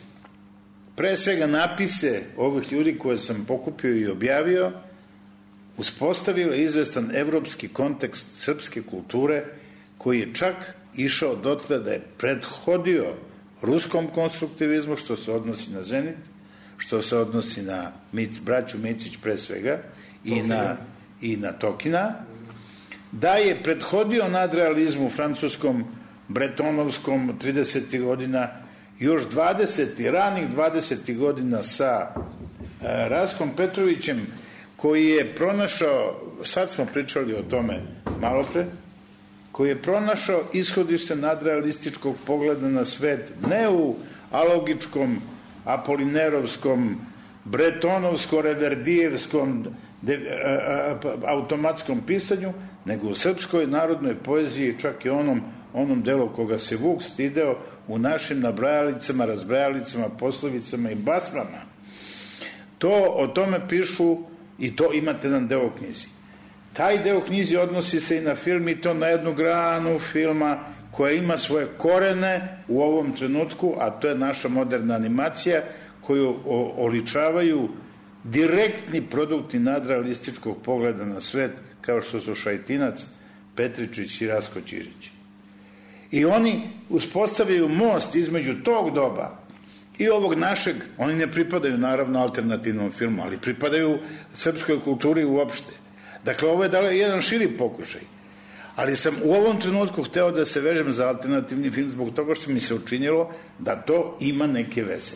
pre svega napise ovih ljudi koje sam pokupio i objavio uspostavila izvestan evropski kontekst srpske kulture koji je čak išao dotle da je prethodio ruskom konstruktivizmu, što se odnosi na Zenit, što se odnosi na braću Micić pre svega i na Tokina, da je prethodio nadrealizmu francuskom, bretonovskom 30. godina, još ranih 20. godina sa Raskom Petrovićem, koji je pronašao, sad smo pričali o tome malo pre, koji je pronašao ishodište nadrealističkog pogleda na svet, ne u alogičkom, apolinerovskom, bretonovsko-reverdijevskom automatskom pisanju, nego u srpskoj narodnoj poeziji, čak i onom delu koga se Vuk stideo u našim nabrajalicama, razbrajalicama, poslovicama i basmama. O tome pišu i to imate jedan deo u knjizi. Taj deo knjizi odnosi se i na film i to na jednu granu filma koja ima svoje korene u ovom trenutku, a to je naša moderna animacija koju oličavaju direktni produkti nadrealističkog pogleda na svet kao što su Šajtinac, Petričić i Rasko Ćirić. I oni uspostavljaju most između tog doba i ovog našeg, oni ne pripadaju naravno alternativnom filmu, ali pripadaju srpskoj kulturi uopšte. Dakle, ovo je jedan širi pokušaj. Ali sam u ovom trenutku hteo da se vežem za alternativni film zbog toga što mi se učinilo da to ima neke veze.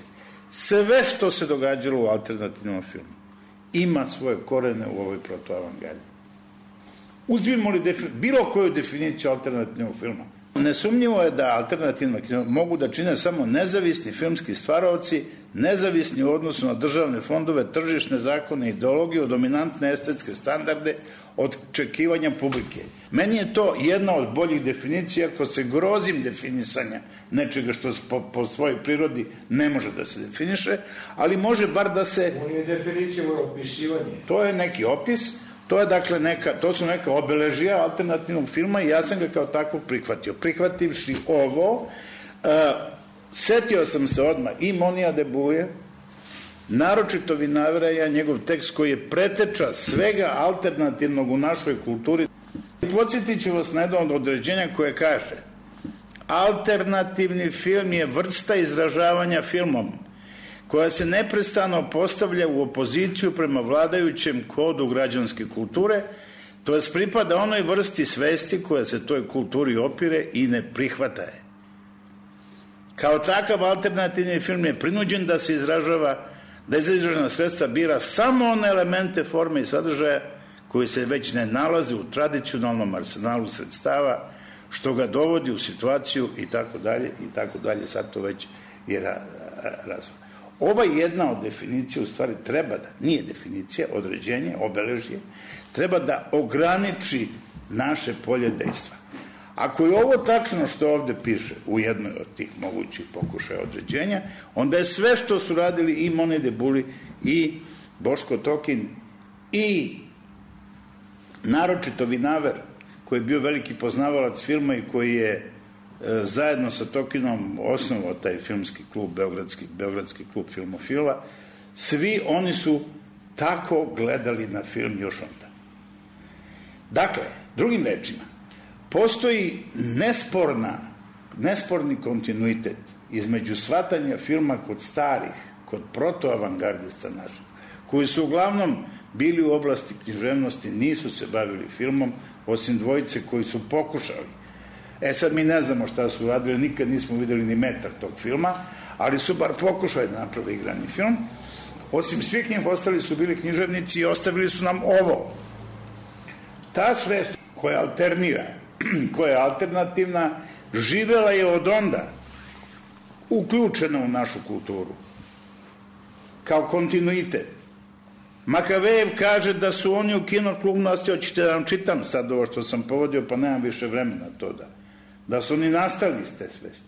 Sve što se događalo u alternativnom filmu ima svoje korene u ovoj protoavangardi. Uzmimo li bilo koju definiciju alternativnog filma, nesumnjivo je da alternativno kino mogu da čine samo nezavisni filmski stvaraoci, nezavisni u odnosu na državne fondove, tržišne zakone, ideologiju, dominantne estetske standarde, od očekivanja publike. Meni je to jedna od boljih definicija, ako se grozim definisanja nečega što po svojoj prirodi ne može da se definiše, ali može bar da se... On je definicija opisivanje. To je neki opis, to su neka obeležija alternativnog filma i ja sam ga kao tako prihvatio. Prihvativši ovo, setio sam se odmah i Monija de Buje, naročito Vinaveraja, njegov tekst koji je preteča svega alternativnog u našoj kulturi. Podsjetit ću vas na jedno od određenja koje kaže: alternativni film je vrsta izražavanja filmom koja se neprestano postavlja u opoziciju prema vladajućem kodu građanske kulture, to jest pripada onoj vrsti svesti koja se toj kulturi opire i ne prihvata je. Kao takav alternativni film je prinuđen da se izražava, da iz izražena sredstva bira samo one elemente, forme i sadržaja koji se već ne nalaze u tradicionalnom arsenalu sredstava, što ga dovodi u situaciju i tako dalje, sad to već je razvoj. Ova jedna od definicija u stvari treba da, nije definicija, određenje, obeležje, treba da ograniči naše polje dejstva. Ako je ovo tačno što ovde piše u jednoj od tih mogućih pokušaja određenja, onda je sve što su radili i Monija de Buli i Boško Tokin i naročito Vinaver, koji je bio veliki poznavalac filma i koji je zajedno sa Tokinom osnovao taj filmski klub, Beogradski klub filmofila, svi oni su tako gledali na film još onda. Dakle, drugim rečima, postoji nesporni kontinuitet između shvatanja filma kod starih, kod protoavangardista naših, koji su uglavnom bili u oblasti književnosti, nisu se bavili filmom, osim dvojice koji su pokušali. Sad mi ne znamo šta su radili, nikad nismo videli ni metar tog filma, ali su bar pokušali da naprave igrani film. Osim svih njih ostali su bili književnici i ostavili su nam ovo. Ta svest koja alternira, koja je alternativna, živela je od onda, uključena u našu kulturu, kao kontinuitet. Makavejev kaže da su oni u kinoklubu, hoćete da vam čitam sad ovo što sam povodio, pa nemam više vremena to da su oni nastali iz te svesti.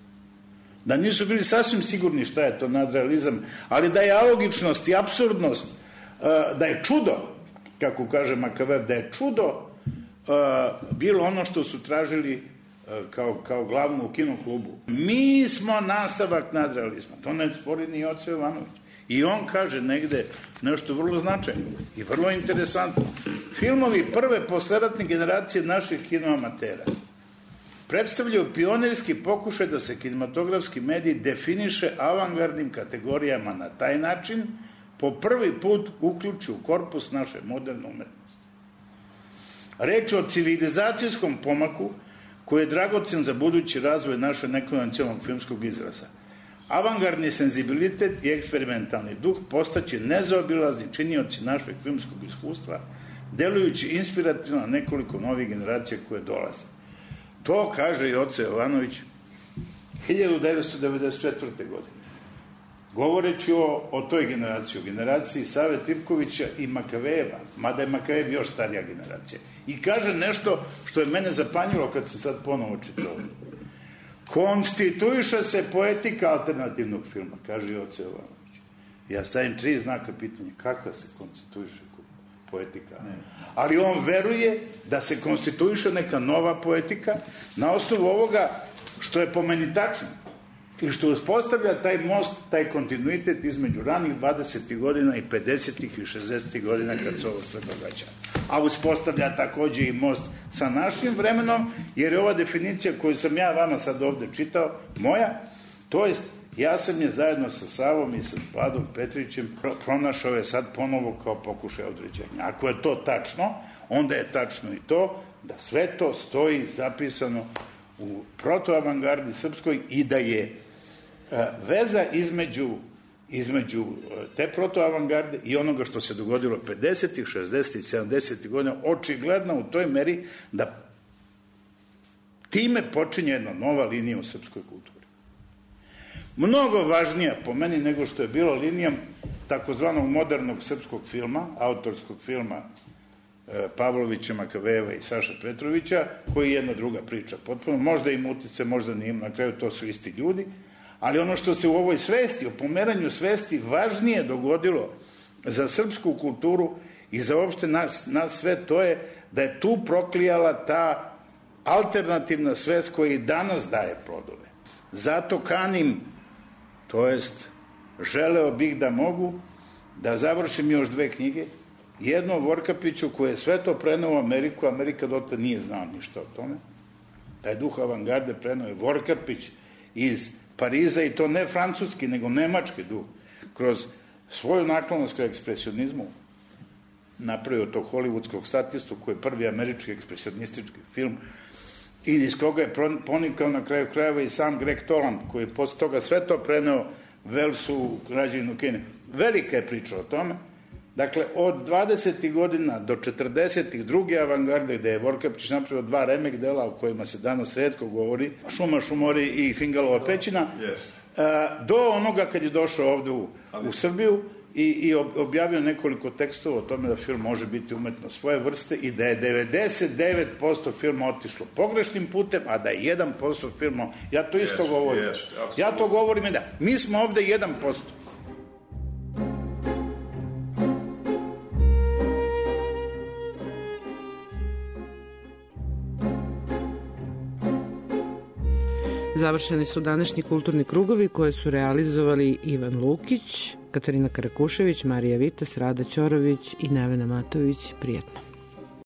Da nisu bili sasvim sigurni šta je to nadrealizam, ali da je alogičnost i apsurdnost, da je čudo, kako kaže Makavejev, da je čudo bilo ono što su tražili kao glavno u kinoklubu. Mi smo nastavak nadrealizma, to ne spori ni Joce Jovanović. I on kaže negde nešto vrlo značajno i vrlo interesantno. Filmovi prve posleratne generacije naših kinoamatera predstavljaju pionirski pokušaj da se kinematografski medij definiše avangardnim kategorijama na taj način, po prvi put uključi u korpus naše moderne umetnosti. Reč je o civilizacijskom pomaku koji je dragocen za budući razvoj naše nekonvencionalnog filmskog izraza. Avangardni senzibilitet i eksperimentalni duh postaće nezaobilazni činioci našeg filmskog iskustva, delujući inspirativno na nekoliko novih generacija koje dolaze. To kaže Joce Jovanović 1994. godine. Govoreći o toj generaciji, o generaciji Save Tripkovića i Makavejeva, mada je Makavejev još starija generacija. I kaže nešto što je mene zapanjilo kad sam sad ponovo čitao. Konstituiše se poetika alternativnog filma, kaže Joce Jovanović. Ja stavim 3 znaka pitanja. Kakva se konstituiše poetika? Ali on veruje da se konstituiše neka nova poetika na osnovu ovoga što je po meni tačno. i što uspostavlja taj most, taj kontinuitet između ranih 20. godina i 50. i 60. godina kad se ovo sve događa. A uspostavlja takođe i most sa našim vremenom, jer je ova definicija koju sam ja vama sad ovde čitao, moja, to jest ja sam je zajedno sa Savom i sa Vladom Petrićem pronašao je sad ponovo kao pokušaj određenja. Ako je to tačno, onda je tačno i to da sve to stoji zapisano u protoavangardi srpskoj i da je veza između te protoavangarde i onoga što se dogodilo 50. 60. 70. godina očigledno u toj meri da time počinje jedna nova linija u srpskoj kulturi. Mnogo važnija po meni nego što je bila linija takozvanog modernog srpskog filma, autorskog filma Pavlovića, Makavejeva i Saša Petrovića, koji je jedna druga priča potpuno. Možda im utice, možda nije, na kraju to su isti ljudi, ali ono što se u ovoj svesti, o pomeranju svesti važnije dogodilo za srpsku kulturu i za uopšte nas sve, to je da je tu proklijala ta alternativna svest koja i danas daje plodove. Zato kanim, to jest želeo bih da mogu da završim još 2 knjige, jedno o Vorkapiću koje je sve to preneo u Ameriku, Amerika dotle nije znao ništa o tome. Taj duh avangarde preneo je Vorkapić iz Pariza i to ne francuski, nego nemački duh. Kroz svoju naklonost ka ekspresionizmu napravio tog hollywoodskog statistu koji je prvi američki ekspresionistički film i iz koga je ponikao na kraju krajeva i sam Greg Toland koji je posle toga sve to preneo Velsu, građaninu Kine. Velika je priča o tome. Dakle, od 20. godina do 40. druge avangarde, gde je Vorkapić napravio 2 remek dela o kojima se danas retko govori, Šuma, Šumori i Fingalova pećina, do onoga kad je došao ovde u Srbiju i objavio nekoliko tekstova o tome da film može biti umetno svoje vrste i da je 99% filma otišlo pogrešnim putem, a da je 1% filma, ja to isto govorim. Ja to govorim i da. Mi smo ovde 1%. Završeni su današnji kulturni krugovi koje su realizovali Ivan Lukić, Katarina Karakušević, Marija Vitas, Rada Ćorović i Nevena Matović. Prijetno.